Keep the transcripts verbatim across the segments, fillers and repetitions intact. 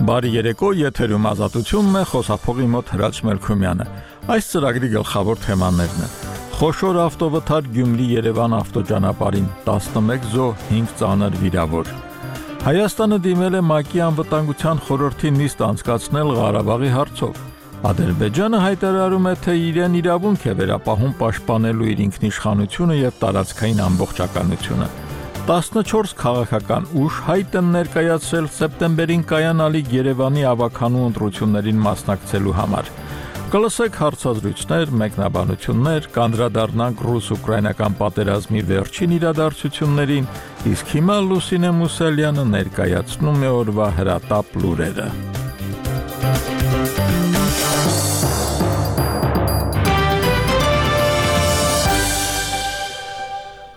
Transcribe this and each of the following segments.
Բարի երեկո, եթերում ազատությունն է, խոսափողի մոտ Հրաչ Մելքումյանը։ Այս ծրագրի գլխավոր թեմաներն են. խոշոր ավտովթար Գյումրի-Երևան ավտոճանապարհին տասնմեկ զոհ, հինգ ծանր վիրավոր։ Հայաստանը դիմել է ՄԱԿ-ի անվտանգության խորհրդի նիստ անցկացնել Ղարաբաղի հարցով։ Ադրբեջանը հայտարարում է, թե իրեն իրավունք է վերապահում պաշտպանելու իր ինքնիշխանությունը եւ տարածքային ամբողջականությունը։ տասնչորս քաղաքական ուժ հայտ են ներկայացրել սեպտեմբերին կայանալիք Երևանի ավականու ընտրություններին մասնակցելու համար։ Կլսեք հարցազրույցներ, մեկնաբանություններ, կանդրադառնանք ռուս-ուկրաինական պատերազմի վերջին իրադարձություններին, իսկ հիմա Լուսինե Մուսալյանը ներկայացնում է օրվա հրատապ լուրերը։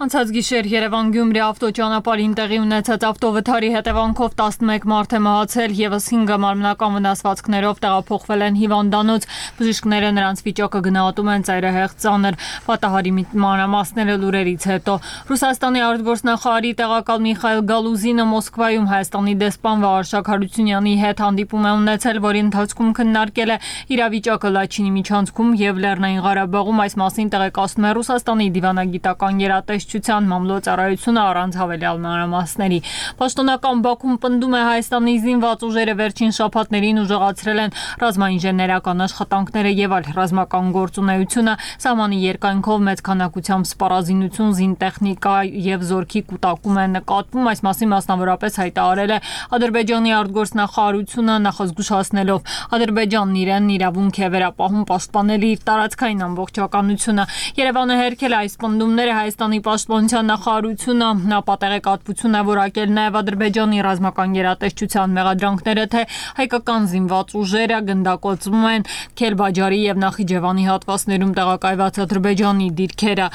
Անցած գիշեր Երևան-Գյումրի ավտոճանապարհին տեղի ունեցած ավտովթարի հետևանքով տասնմեկ մարդ է մահացել, ևս հինգը մարմնական վնասվածքներով տեղափոխվել են հիվանդանոց։ Բժիշկները նրանց վիճակը գնահատում են ծայրահեղ ծանր։ Պատահարի մանրամասները լուրերից հետո Ռուսաստանի արտգործնախարարի տեղակալ Միխայել Գալուզինը Մոսկվայում Հայաստանի դեսպան Վարշակ Հարությունյանի հետ հանդիպում է ունեցել, որի ընթացքում քննարկել է իրավիճակը Լաչինի միջանցքում եւ Լեռնային Ղարաբաղում։ Այս մասին տեղեկացնում է Ռուսաստանի դիվանագիտական գերատեսչության մամլոյցարայությունը առանց հավելյալ մանրամասների։ Պաշտոնական Բաքուն պնդում է Հայաստանի զինված ուժերը վերջին շաբաթներին ուժեղացրել են ռազմաինժեներական աշխատանքները եւ այլ ռազմական գործունեությունը, սահմանի երկայնքով մեծ քանակությամբ սպառազինություն, զինտեխնիկա եւ զորքի կուտակում է նկատվում։ Այս մասին մասնավորապես հայտարարել է Ադրբեջանի արտգործնախարարությունը, նախազգուշացնելով Ադրբեջանն իրեն իրավունք է վերապահում պաշտպանել իր տարածքային ամբողջականությունը։ Երևանը հերքել է այս պնդումները Հայաստանի պաշտպանության նախարարությունը նապատեղեկատվություն է որակել նաև Ադրբեջանի ռազմական գերատեսչության մեղադրանքները, թե հայկական զինված ուժերը գնդակոծվում են Քելբաջարի եւ Նախիջևանի հատվածներում տեղակայված Ադրբեջանի դիրքերը։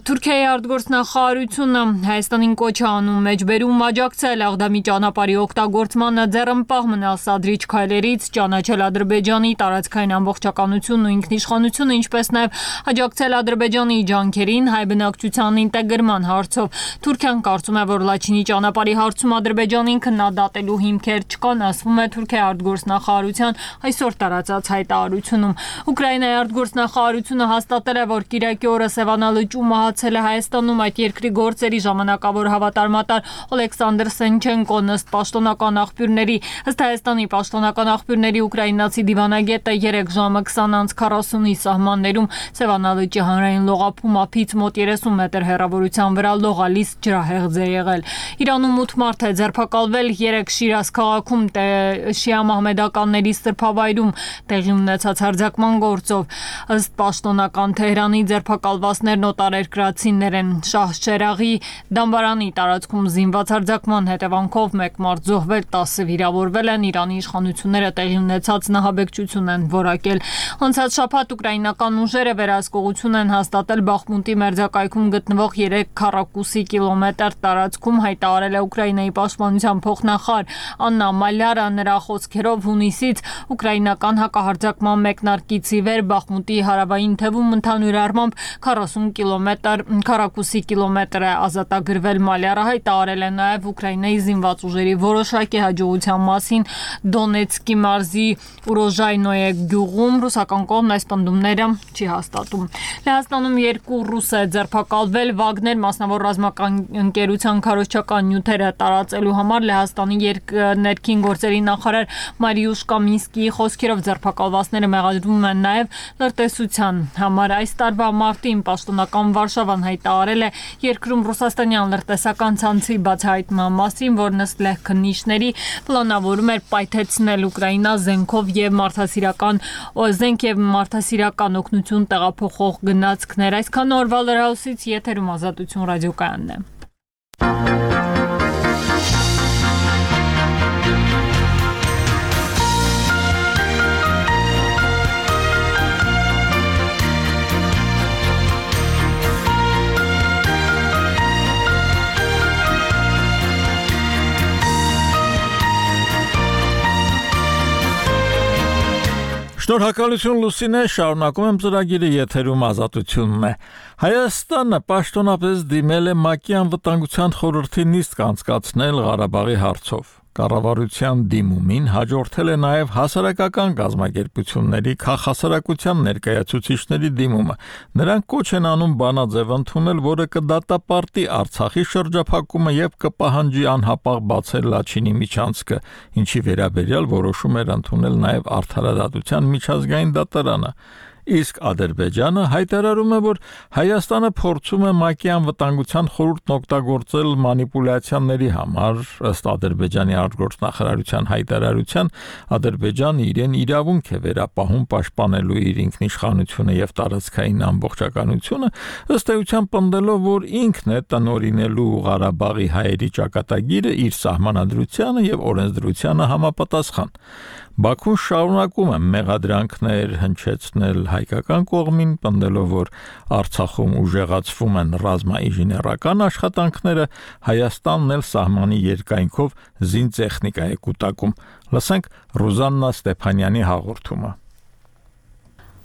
Թուրքիայի արտգործնախարարությունը Հայաստանին կոչ է անում մեջբերում աջակցել Աղդամի ճանապարհի օգտագործմանը, ձեռնպահ մնալ սադրիչ քայլերից, ճանաչել Ադրբեջանի տարածքային ամբողջականությունն ու ինքնիշխանությունը, ինչպես նաև աջակցել Ադրբեջանի ջանքերին հայ բնակչության ինտեգրման հարցով։ Թուրքիան կարծում է, որ Լաչինի ճանապարհի հարցում Ադրբեջանին քննադատելու հիմքեր չկան, ասվում է Թուրքիայի արտգործնախարարության այսօր տարածած հայտարարությունում։ Ուկրաինայի արտգործնախարարությունը հաստատել է, որ Կիրակի օրը Սևանալճու մահացել է Հայաստանում այդ երկրի գործերի ժամանակավոր հավատարմատար Օլեքսանդր Սենչենկոն, ըստ պաշտոնական աղբյուրների։ Ըստ Հայաստանի պաշտոնական աղբյուրների ուկրաինացի դիվանագետը երեք ժամը քսան անց քառասունի սահմաններում Սևանալճի հանրային լողափում ափից մոտ երեսուն մետր հեռավորության վրա լողալիս ջրահեղձ է եղել։ Իրանում ութ մարդ է ձերբակալվել, երեք Շիրազ քաղաքում շիա մահմեդականների սրբավայրում տեղի ունեցած հարձակման գործով։ Ըստ պաշտոնական Թեհրանի ձերբակալվածներն օտարերկրացիներ են։ Շահշերաղի դամբարանի տարածքում զինված հարձակման հետևանքով մեկ մարդ զոհվել, տասը վիրավորվել են։ Իրանի իշխանությունները տեղի ունեցած նահաբեկչություն են որակել։ Անցած շաբաթ ուկրաինական ուժերը վերահսկողություն են հաստատել Բախմուտի մերձակայքում գտնվող երեք քառակուսի կիլոմետր տարածքում, հայտարարել է Ուկրաինայի պաշտպանության փոխնախարար Աննա Մալյարը։ Նրա խոսքերով հունիսից ուկրաինական հակահարձակման մեկնարկից ի վեր Բախմուտի հարավային թևում ընդհանուր առմամբ քառասուն կիլոմետր քառակուսի կիլոմետր է ազատագրվել։ Մալյարը հայտարարել է նաև Ուկրաինայի զինված ուժերի որոշակի հաջողության մասին Դոնեցկի մարզի Ուրոժայնոյե գյուղում։ Ռուսական կողմն այս պնդումները չի հաստատում։ Լեհաստանում երկու ռուս է ձերբակալվել Վագներ մասնավոր ռազմական ընկերության քարոզչական նյութերը տարածելու համար։ Լեհաստանի ներքին գործերի նախարար Մարիուշ Կամինսկիի խոսքերով ձերբակալվածները մեղադրվում են նաև լրտեսության համար։ Այս տարվա մարտին պաշտոնական Վարշավան հայտարարել է երկրում ռուսաստանյան լրտեսական ցանցի բացահայտման մասին, որն ըստ լեհ քննիչների պլանավորում էր պայթեցնել Ուկրաինա զենքով եւ մարդասիրական զենք եւ մարդասիրական օգնություն տեղափոխող գնացքներ։ Այսքան օրվա լրահոսից եթերում Ազատություն ռադիոկայանն է։ Շնորհակալություն Լուսինե, շարունակում եմ ծրագիրը, եթերում Ազատությունն է։ Հայաստանը պաշտոնապես դիմել է ՄԱԿ-ի անվտանգության խորհրդի նիստ անցկացնել Ղարաբաղի հարցով։ կառավարության դիմումին հաջորդել է նաև հասարակական կազմակերպությունների քաղաքասարակության ներկայացուցիչների դիմումը։ Նրանք կոչ են անում բանաձև ընդունել, որը կդատապարտի Արցախի շրջափակումը եւ կպահանջի անհապաղ բացել Լաչինի միջանցքը, ինչի վերաբերյալ որոշում էր ընդունել նաև Արդարադատության միջազգային դատարանը։ Իսկ Ադրբեջանը հայտարարում է, որ Հայաստանը փորձում է ՄԱԿ-ի անվտանգության խորհուրդն օգտագործել մանիպուլյացիաների համար։ Ըստ Ադրբեջանի արտգործնախարարության հայտարարության, Ադրբեջանը իրեն իրավունք է վերապահում պաշտպանելու իր ինքնիշխանությունը եւ տարածքային ամբողջականությունը, ըստ էության պնդելով, որ ինքն է տնօրինելու Ղարաբաղի հայերի ճակատագիրը իր սահմանադրությանը եւ օրենսդրությանը համապատասխան։ Բաքուն շարունակում է մեղադրանքներ հնչեցնել հայկական կողմին, պնդելով, որ Արցախում ուժեղացվում են ռազմաինժեներական աշխատանքները, Հայաստանն էլ սահմանի երկայնքով զինտեխնիկա է կուտակում։ Լսենք Ռուզաննա Ստեփանյանի հաղորդումը։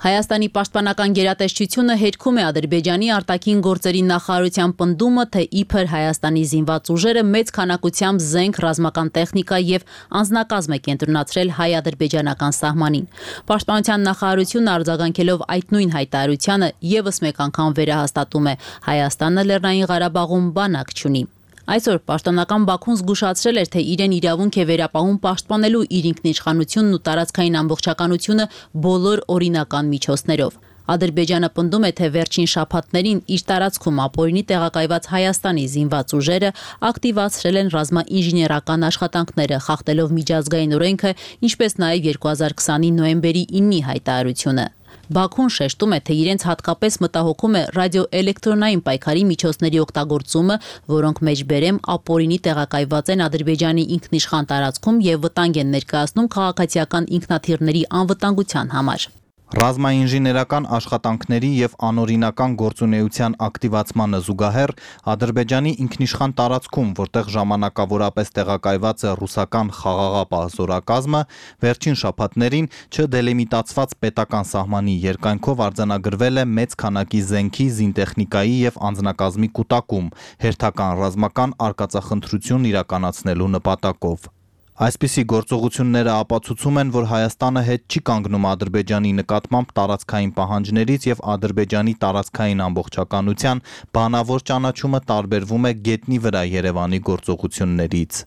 Հայաստանի պաշտպանական գերատեսչությունը հերքում է Ադրբեջանի արտաքին գործերի նախարարության պնդումը, թե իբր Հայաստանի զինված ուժերը մեծ քանակությամբ զենք, ռազմական տեխնիկա եւ անձնակազմ է կենտրոնացրել հայ-ադրբեջանական սահմանին։ Պաշտպանության նախարարությունը արձագանքելով այդ նույն հայտարարությանը եւս մեկ անգամ վերահաստատում է՝ Հայաստանը Լեռնային Ղարաբաղում բանակ չունի։ Այսօր պաշտոնական Բաքուն զգուշացրել էր, թե իրեն իրավունք է վերապահում պաշտպանելու իր ինքնիշխանությունն ու տարածքային ամբողջականությունը բոլոր օրինական միջոցներով։ Ադրբեջանը պնդում է, թե վերջին շաբաթներին իր տարածքում ապօրինի տեղակայված Հայաստանի զինված ուժերը ակտիվացրել են ռազմաինժեներական աշխատանքները, խախտելով միջազգային օրենքը, ինչպես նաև երկու հազար քսանի նոյեմբերի իննի հայտարարությունը։ Բաքուն շեշտում է, թե իրենց հատկապես մտահոգում է ռադիոէլեկտրոնային պայքարի միջոցների օգտագործումը, որոնք մեջբերեմ ապօրինի տեղակայված են Ադրբեջանի ինքնիշխան տարածքում եւ վտանգ են ներկայացնում քաղաքացիական ինքնաթիռների անվտանգության համար։ Ռազմաինժեներական աշխատանքների եւ անօրինական գործունեության ակտիվացմանը զուգահեռ Ադրբեջանի ինքնիշխան տարածքում, որտեղ ժամանակավորապես տեղակայված է ռուսական խաղաղապահ զորակազմը, վերջին շաբաթներին չդելիմիտացված պետական սահմանի երկայնքով արձանագրվել է մեծ քանակի զենքի, զինտեխնիկայի եւ անձնակազմի կուտակում, հերթական ռազմական արկածախնդրություն իրականացնելու նպատակով։ Այսպիսի գործողությունները ապացուցում են, որ Հայաստանը հետ չի կանգնում Ադրբեջանի նկատմամբ տարածքային պահանջներից եւ Ադրբեջանի տարածքային ամբողջականության բանավոր ճանաչումը տարբերվում է գետնի վրա Երևանի գործողություններից։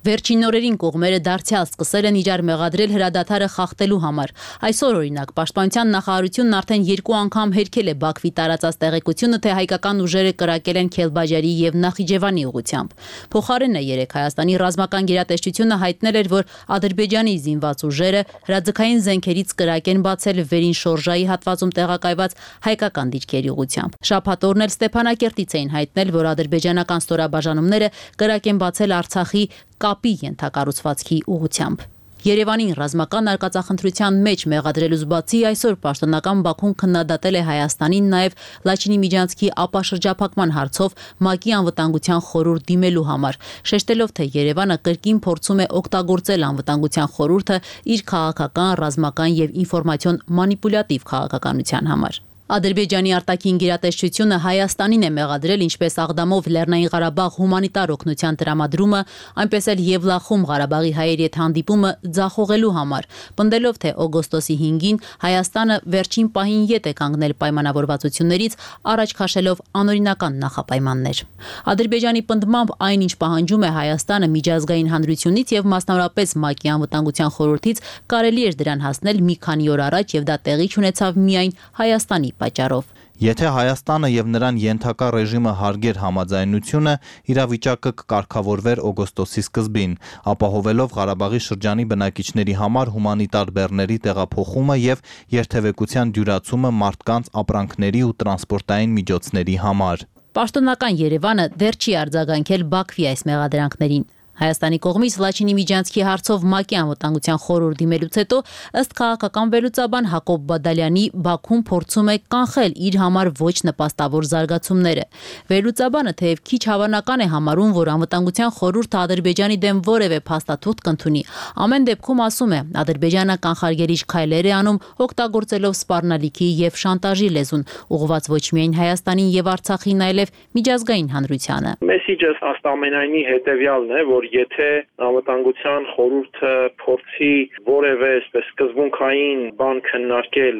Վերջին օրերին կողմերը դարձյալ սկսել են իրար մեղադրել հրադադարը խախտելու համար։ Այսօր օրինակ պաշտպանության նախարարությունն արդեն երկու անգամ հերքել է Բաքվի տարածած տեղեկությունը, թե հայկական ուժերը կրակել են Քելբաջարի եւ Նախիջևանի ուղղությամբ։ Փոխարենը երեք Հայաստանի ռազմական գերատեսչությունը հայտնել էր, որ Ադրբեջանի զինված ուժերը հրաձգային զենքերից կրակ են բացել վերին շորժայի հատվածում տեղակայված հայկական դիրքերի ուղղությամբ։ Շաբաթօրն էլ Ստեփանակերտից էին հայտնել, որ ադրբեջանական ստորաբաժանումները կրակ են բացել Արցախի կապի ենթակառուցվածքի ուղղությամբ։ Երևանին ռազմական արկածախնդրության մեջ մեղադրելուց բացի այսօր պաշտոնական Բաքուն քննադատել է Հայաստանին նաև Լաչինի միջանցքի ապաշրջափակման հարցով ՄԱԿ-ի անվտանգության խորհուրդ դիմելու համար, շեշտելով, թե Երևանը կրկին փորձում է օգտագործել անվտանգության խորհուրդը իր քաղաքական, ռազմական եւ ինֆորմացիոն մանիպուլյատիվ քաղաքականության համար։ Ադրբեջանի արտաքին գերատեսչությունը Հայաստանին է մեղադրել ինչպես Աղդամով Լեռնային Ղարաբաղ հումանիտար օգնության տրամադրումը, այնպես էլ Եվլախում Ղարաբաղի հայերի հետ հանդիպումը ձախողելու համար, պնդելով, թե օգոստոսի հինգին Հայաստանը վերջին պահին ետ է կանգնել պայմանավորվածություններից, առաջ քաշելով անօրինական նախապայմաններ։ Ադրբեջանի պնդմամբ այն, ինչ պահանջում է Հայաստանը միջազգային հանրությունից եւ մասնավորապես ՄԱԿ-ի անվտանգության խորհրդից, կարելի էր դրան հասնել մի քանի օր առաջ եւ դա տեղի չունեցավ միայն Հայաստանի պատճառով։ Եթե Հայաստանը եւ նրան ենթակա ռեժիմը հարգեր համաձայնությունը, իրավիճակը կկարգավորվեր օգոստոսի սկզբին, ապահովելով Ղարաբաղի շրջանի բնակիչների համար հումանիտար բեռների տեղափոխումը եւ երթևեկության դյուրացումը մարդկանց ապրանքների ու տրանսպորտային միջոցների համար։ Պաշտոնական Երևանը դեռ չի արձագանքել Բաքվի այս մեղադրանքներին։ Հայաստանի կողմից Լաչինի միջանցքի հարցով ՄԱԿ-ի անվտանգության խորհուրդ դիմելուց հետո ըստ քաղաքական վերլուծաբան Հակոբ Բադալյանի Բաքուն փորձում է կանխել իր համար ոչ նպաստավոր զարգացումները։ Վերլուծաբանը թեև քիչ հավանական է համարում, որ անվտանգության խորհուրդը Ադրբեջանի դեմ որևէ փաստաթուղթ կընդունի, ամեն դեպքում ասում է, Ադրբեջանը կանխարգելիչ քայլեր է անում, օգտագործելով սպառնալիքի եւ շանտաժի լեզուն, ուղղված ոչ միայն Հայաստանին եւ Արցախին, այլև միջազգային հանրությանը։ Մեսիջը ըստ ամենայնի հետեւյալն է, որ եթե անվտանգության խորհուրդը փորձի որևէ այսպես սկզբունքային բան քննարկել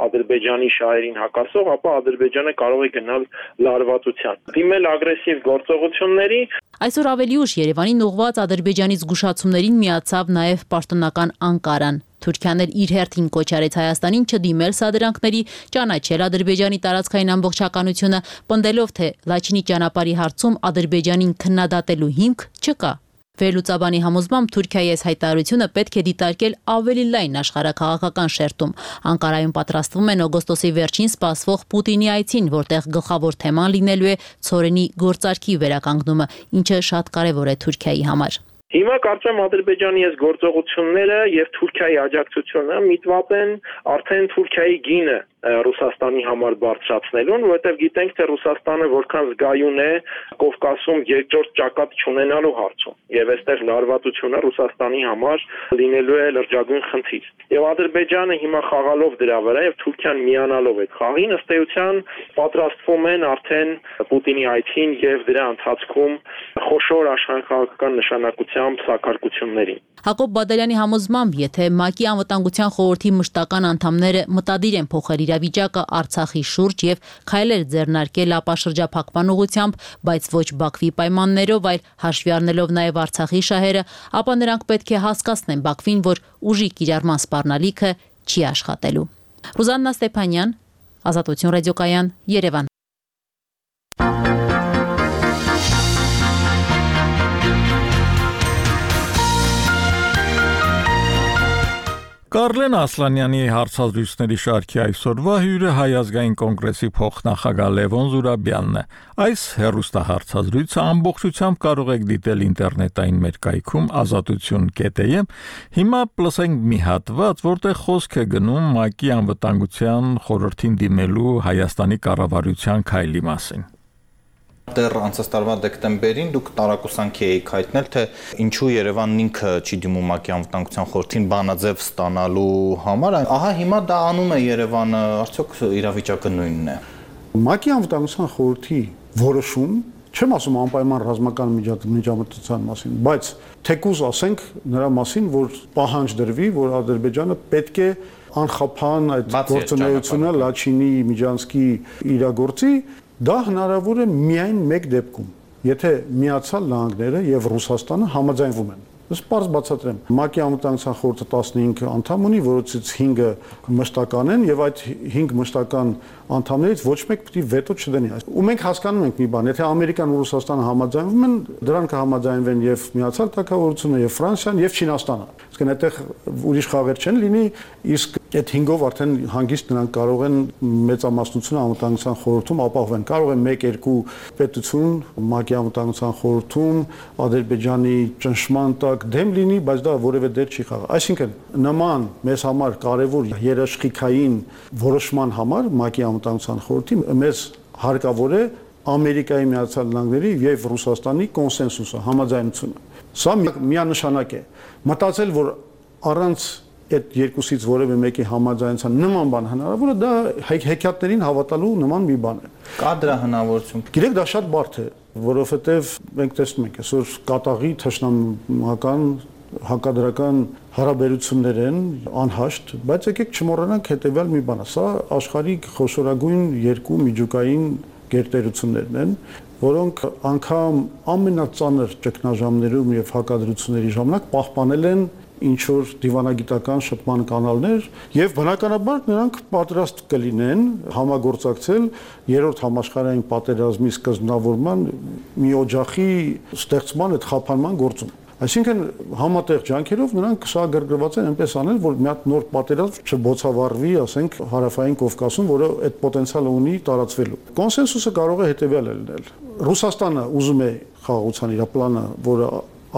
Ադրբեջանի շահերին հակասող, ապա Ադրբեջանը կարող է գնալ լարվածության, դիմել ագրեսիվ գործողությունների։ Այսօր ավելի ուշ Երևանին ուղղված Ադրբեջանի զգուշացումներին միացավ նաև պաշտոնական Անկարան։ Թուրքիան էլ իր հերթին կոչ արեց Հայաստանին չդիմել սադրանքների, ճանաչել Ադրբեջանի տարածքային ամբողջականությունը, պնդելով, թե Լաչինի ճանապարհի հարցում Ադրբեջանին քննադատելու հիմք չկա։ Վերլուծաբանի համոզմամբ Թուրքիայի այս հայտարարությունը պետք է դիտարկել ավելի լայն աշխարհաքաղաքական շերտում։ Անկարայում պատրաստվում են օգոստոսի վերջին սպասվող Պուտինի այցին, որտեղ գլխավոր թեման լինելու է ցորենի գործարքի վերականգնումը, ինչը շատ կարևոր է Թուրքիայի համար։ Հիմա կարծեմ Ադրբեջանի այս գործողությունները եւ Թուրքիայի աջակցությունը միտված են արդեն Թուրքիայի գինը Ռուսաստանի համար բարձրացնելուն, որովհետեւ գիտենք, թե Ռուսաստանը որքան զգայուն է Կովկասում երկրորդ ճակատ չունենալու հարցում, եւ այստեղ լարվածությունը Ռուսաստանի համար լինելու է լրջագույն խնդիր։ Եվ Ադրբեջանը հիմա խաղալով դրա վրա եւ Թուրքիան միանալով այդ խաղին ըստ էության պատրաստվում են արդեն Պուտինի այցին եւ դրա ընթացքում խոշոր աշխարհաքաղաքական նշանակությամբ սակարկություններին։ Հակոբ Բադալյանի համոզմամբ, եթե ՄԱԿ-ի անվտանգության խորհրդի մշտական անդամները մտադիր են փոխել իրավիճակը Արցախի շուրջ եւ քայլեր ձեռնարկել ապա շրջափակման ուղղությամբ, բայց ոչ Բաքվի պայմաններով, այլ հաշվի առնելով նաեւ Արցախի շահերը, ապա նրանք պետք է հասկացնեն Բաքվին, որ ուժի կիրառման սպառնալիքը չի աշխատելու։ Ռուզաննա Ստեփանյան, Ազատություն ռադիոկայան, Երևան։ Կարլեն Ասլանյանի հարցազրույցների շարքի այսօրվա հյուրը Հայ ազգային կոնգրեսի փոխնախագահ Լևոն Զուրաբյանն է։ Այս հեռուստահարցազրույցը ամբողջությամբ կարող եք դիտել ինտերնետային մեր կայքում ազատություն կետ է եմ։ Հիմա լսենք մի հատված, որտեղ խոսք է գնում ՄԱԿ-ի անվտանգության խորհրդին դիմելու Հայաստանի կառավարության քայլի մասին։ Դեռ անցած տարվա դեկտեմբերին դուք տարակուսանքի էիք հայտնել, թե ինչու Երևանն ինքը չի դիմում ՄԱԿ-ի անվտանգության խորհրդին բանաձև ստանալու համար։ Ահա հիմա դա անում է Երևանը, արդյոք իրավիճակը նույնն է։ ՄԱԿ-ի անվտանգության խորհրդի որոշում, չեմ ասում անպայման ռազմական միջամտության մասին, բայց թեկուզ ասենք նրա մասին, որ պահանջ դրվի, որ Ադրբեջանը պետք է անխափան այդ գործունեությունը Լաչինի Միջանցքի իրագործի։ Դա հնարավոր է միայն մեկ դեպքում, եթե Միացյալ Նահանգները եւ Ռուսաստանը համաձայնվում են։ Ես պարզ բացատրեմ, ՄԱԿ-ի անվտանգության խորհուրդը տասնհինգ անդամ ունի, որոնցից հինգը մշտական են եւ այդ հինգ մշտական անդամներից ոչ մեկ պիտի վետո չդնի։ Ու մենք հասկանում ենք մի բան, եթե Ամերիկան ու Ռուսաստանը համաձայնվում են, դրան կհամաձայնվեն եւ Միացյալ Թագավորությունը եւ Ֆրանսիան եւ Չինաստանը։ Իսկն այդտեղ ուրիշ խաղեր չեն լինի, իսկ այդ հինգով արդեն հանգիստ նրանք կարող են մեծամասնությունը անվտանգության խորհրդում ապահովեն։ Կարող է մեկ-երկու պետություն ՄԱԿ-ի անվտանգության խորհրդում Ադրբեջանի ճնշման տակ դեմ լինի, բայց դա որևէ դեր չի խաղա։ Այսինքն նման մեզ համար կարևոր երաշխիքային որոշման համար ՄԱԿ-ի անվտանգության խորհրդի մեզ հարկավոր է Ամերիկայի Միացյալ Նահանգների եւ Ռուսաստանի կոնսենսուսը, համաձայնությունը։ Սա միանշանակ է։ Մտածել, որ առանց այդ երկուսից որևէ մեկի համաձայնության նման բան հնարավոր է, դա հեքիաթներին հավատալու նման մի բան է։ Կա դրա հնարավորություն։ Գիտեք, դա շատ բարդ է, որովհետեւ մենք տեսնում ենք այսօր կատաղի թշնամական հակադրական հարաբերություններ են անհաշտ, բայց եկեք չմոռանանք հետեւյալ մի բանը, սա աշխարհի խոշորագույն երկու միջուկային գերտերություններն են, որոնք անգամ ամենածանր ճգնաժամերում եւ հակադրությունների ժամանակ պահպանել են ինչ որ դիվանագիտական շփման կանալներ եւ բնականաբար նրանք պատրաստ կլինեն համագործակցել երրորդ համաշխարհային պատերազմի սկզբնավորման մի օջախի ստեղծման այդ խափանման գործում։ Այսինքն համատեղ ջանքերով նրանք շահագրգռված են այնպես անել, որ մի հատ նոր պատերազմ չբոցավառվի, ասենք, հարավային Կովկասում, որը այդ պոտենցիալը ունի տարածվելու։ Կոնսենսուսը կարող է հետեւյալը լինել։ Ռուսաստանը ուզում է խաղաղության իր պլանը, որը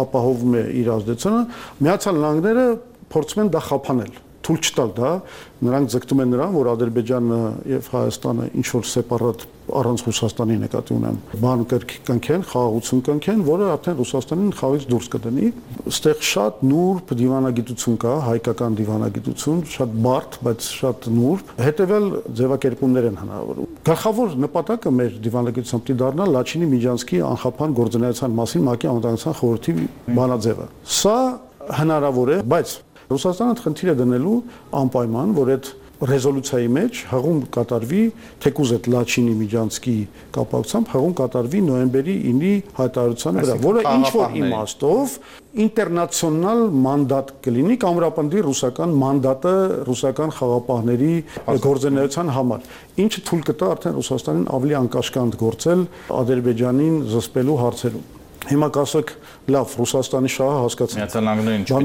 ապահովում է իր ազդեցությունը, Միացյալ Նահանգները փորձում են դա խափանել։ թույլ չտալ դա, նրանք ձգտում են նրան, որ Ադրբեջանը եւ Հայաստանը ինչ որ սեպարատ առանց Ռուսաստանի նկատի ունեմ, բան կնքեն, խաղաղություն կնքեն, որը արդեն Ռուսաստանին խաղից դուրս կդնի։ Այստեղ շատ նուրբ դիվանագիտություն կա, հայկական դիվանագիտություն, շատ բարդ, բայց շատ նուրբ, հետեւյալ ձևակերպումներ են հնարավոր։ Գլխավոր նպատակը մեր դիվանագիտության պիտի դառնա Լաչինի Միջանցքի անխափան գործունեության մասին ՄԱԿ-ի անվտանգության խորհրդի բանաձևը։ Սա հնարավոր է, բայց Ռուսաստանը խնդիր է դնելու անպայման, որ այդ ռեզոլյուցիայի մեջ հղում կատարվի թեկուզ այդ Լաչինի Միջանցքի կապակցությամբ հղում կատարվի նոյեմբերի ինի հայտարարության վրա, որը ինչ որ իմաստով ինտերնացիոնալ մանդատ կլինի, կամրապնդի ռուսական մանդատը ռուսական խաղապահների գործունեության համար, ինչը թույլ կտա արդեն Ռուսաստանին ավելի անկաշկանդ գործել Ադրբեջանին զսպելու հարցերում։ Հիմա կասեք, լավ, Ռուսաստանի շահը հասկացանք։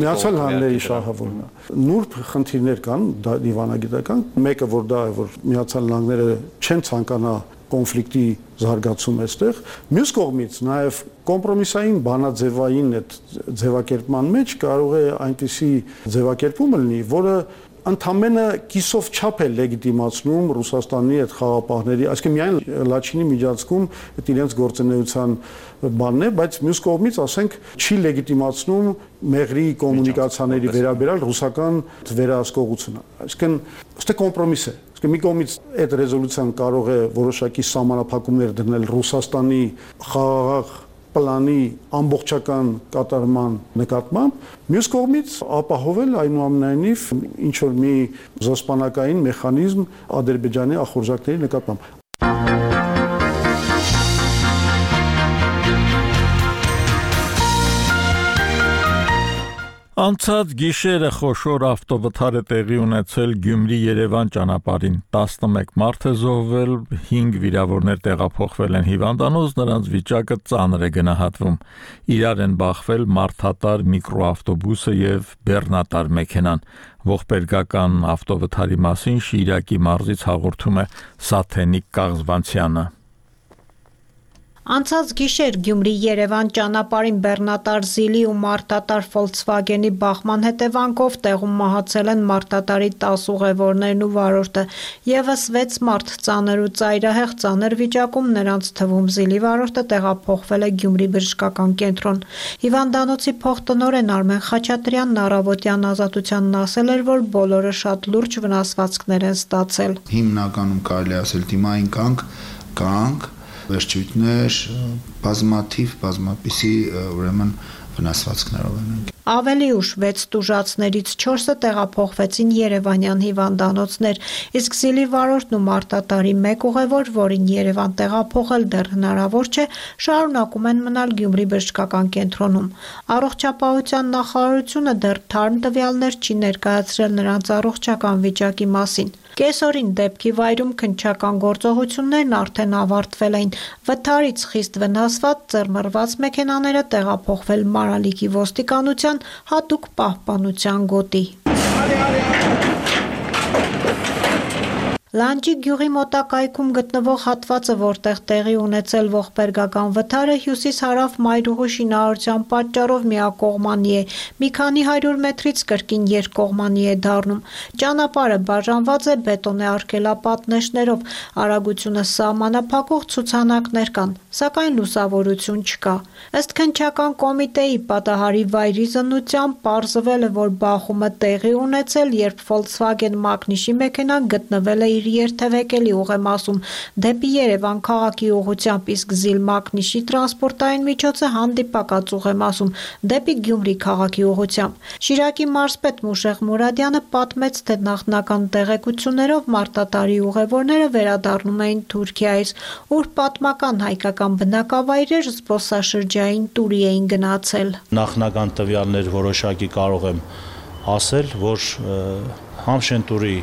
Միացյալ Նահանգների շահը որն է։ Նուրբ խնդիրներ կան դիվանագիտական, մեկը որ դա է, որ Միացյալ Նահանգները չեն ցանկանա կոնֆլիկտի զարգացում այստեղ, մյուս կողմից նաև կոմպրոմիսային բանաձևային այդ ձևակերպման մեջ կարող է այնպիսի ձևակերպում լինի, որը ընդամենը կիսով չափ է լեգիտիմացնում Ռուսաստանի այդ խաղապահների, այսինքն միայն Լաչինի Միջանցքում այդ իրենց գործունեության բանն է, բայց մյուս կողմից ասենք չի լեգիտիմացնում մեղրի կոմունիկացիաների վերաբերյալ ռուսական վերահսկողությունը։ Այսինքն ստե կոմպրոմիս է։ Իսկ մի կողմից այդ ռեզոլյուցիան կարող է որոշակի սահմանափակումներ դնել Ռուսաստանի խաղաղ պլանի ամբողջական կատարման նկատմամբ, մյուս կողմից ապահովել այնուամենայնիվ ինչ որ մի զսպանակային մեխանիզմ Ադրբեջանի ախորժակների նկատմամբ։ Անցած գիշերը խոշոր ավտովթար է տեղի ունեցել Գյումրի-Երևան ճանապարհին։ տասնմեկ մարդ է զոհվել, հինգ վիրավորներ տեղափոխվել են հիվանդանոց, նրանց վիճակը ծանր է գնահատվում։ Իրար են բախվել մարդատար միկրոավտոբուսը եւ բեռնատար մեքենան։ Ողբերգական ավտովթարի մասին Շիրակի մարզից հաղորդում է Սաթենիկ Կաղզվանցյանը։ Անցած գիշեր Գյումրի-Երևան ճանապարհին բեռնատար Զիլի ու մարդատար Volkswagen-ի բախման հետևանքով տեղում մահացել են մարդատարի տասը ուղևորներն ու վարորդը, եւս վեց մարդ ծանր ու ծայրահեղ ծանր վիճակում, նրանց թվում Զիլի վարորդը տեղափոխվել է Գյումրի բժշկական կենտրոն։ Հիվանդանոցի փոխտնօրեն Արմեն Խաչատրյանն առավոտյան Ազատությանն ասել էր, որ բոլորը շատ լուրջ վնասվածքներ են ստացել։ Հիմնականում կարելի ասել դիմային կանգ, կանգ վերջույթներ, բազմաթիվ, բազմապիսի ուրեմն վնասվածքներով են ընկել։ Ավելի ուշ վեց տուժածներից չորսը տեղափոխվեցին Երևանյան հիվանդանոցներ, իսկ Զիլի վարորդն ու մարդատարի մեկ ուղևոր, որին Երևան տեղափոխել դեռ հնարավոր չէ, շարունակում են մնալ Գյումրի բժշկական կենտրոնում։ Առողջապահության նախարարությունը դեռ թարմ տվյալներ չի ներկայացրել նրանց առողջական վիճակի մասին։ Կեսօրին դեպքի վայրում քննչական գործողություններն արդեն ավարտվել էին։ Վթարից խիստ վնասված ծռմռված մեքենաները տեղափոխվել Մարալիկի ոստիկանության հատուկ պահպանության գոտի։ Լանջի գյուղի մոտակայքում գտնվող հատվածը, որտեղ տեղի ունեցել ողբերգական վթարը, հյուսիս-հարավ մայրուղու շինարարության պատճառով միակողմանի է, մի քանի հարյուր մետրից կրկին երկկողմանի է դառնում։ Ճանապարհը բաժանված է բետոնե արգելապատնեշներով, արագությունը սահմանափակող ցուցանակներ կան, սակայն լուսավորություն չկա։ Ըստ քննչական կոմիտեի պատահարի վայրի զննությամբ պարզվել է, որ բախումը տեղի ունեցել, երբ Volkswagen Magnish-ի մեքենան գտնվել է իր երթևեկելի ուղեմասում դեպի Երևան քաղաքի ուղղությամբ, իսկ Զիլ Magnish-ի տրանսպորտային միջոցը հանդիպակաց ուղեմասում դեպի Գյումրի քաղաքի ուղղությամբ։ Շիրակի մարզպետ Մուշեղ Մուրադյանը պատմեց, թե նախնական տեղեկություններով մարդատարի ուղևորները վերադառնում էին Թուրքիայից, ուր պատմական հայկական բնակավայրեր զբոսաշրջային տուրի էին գնացել։ Նախնական տվյալներ որոշակի կարող եմ ասել, որ Համշենտուրի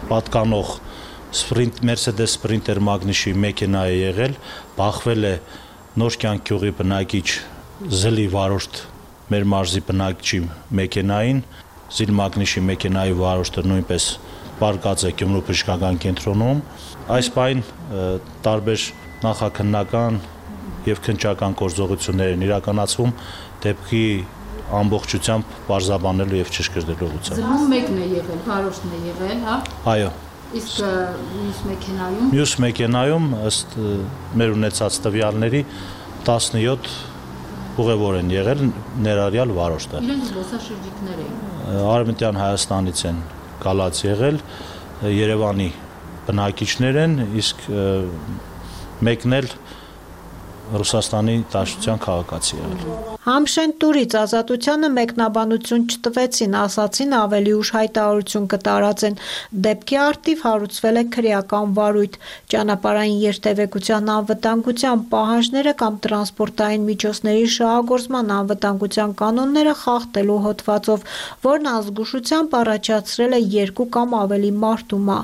պատկանող Sprint Mercedes Sprinter Magnish-ի մեքենա է եղել, բախվել է Նոր կյանք գյուղի բնակիչ Զիլի վարորդ մեր մարզի բնակչի մեքենային, Զիլ Magnish-ի մեքենայի վարորդը նույնպես պարկած է Գյումրու բժշկական կենտրոնում։ Այս պայն տարբեր նախաքննական եւ քննչական գործողություններ են իրականացվում դեպքի ամբողջությամբ բարձրաբանելու եւ ճշգրտելու ուղղությամբ։ Զրույց մեկն է եղել, վարորդն է եղել, հա։ Այո։ Իսկ մյուս մեքենայում։ Մյուս մեքենայում ըստ մեր ունեցած տվյալների տասնյոթ ուղևոր են եղել, ներառյալ վարորդը։ Իրենք զբոսաշրջիկներ էին։ Արևմտյան Հայաստանից են գալած եղել, Երևանի բնակիչներ են, իսկ մեկն էլ Ռուսաստանի Դաշնության քաղաքացի եղել։ Համշեն տուրից ազատությանը մեկնաբանություն չտվեցին, ասացին ավելի ուշ հայտարարություն կտարածեն։ Դեպքի արդիվ հարուցվել է քրեական վարույթ, ճանապարհային երթևեկության անվտանգության պահանջները կամ տրանսպորտային միջոցների շահագործման անվտանգության կանոնները խախտելու հոդվածով, որն ազգուշությամբ առաջացրել է երկու կամ ավելի մարդումա։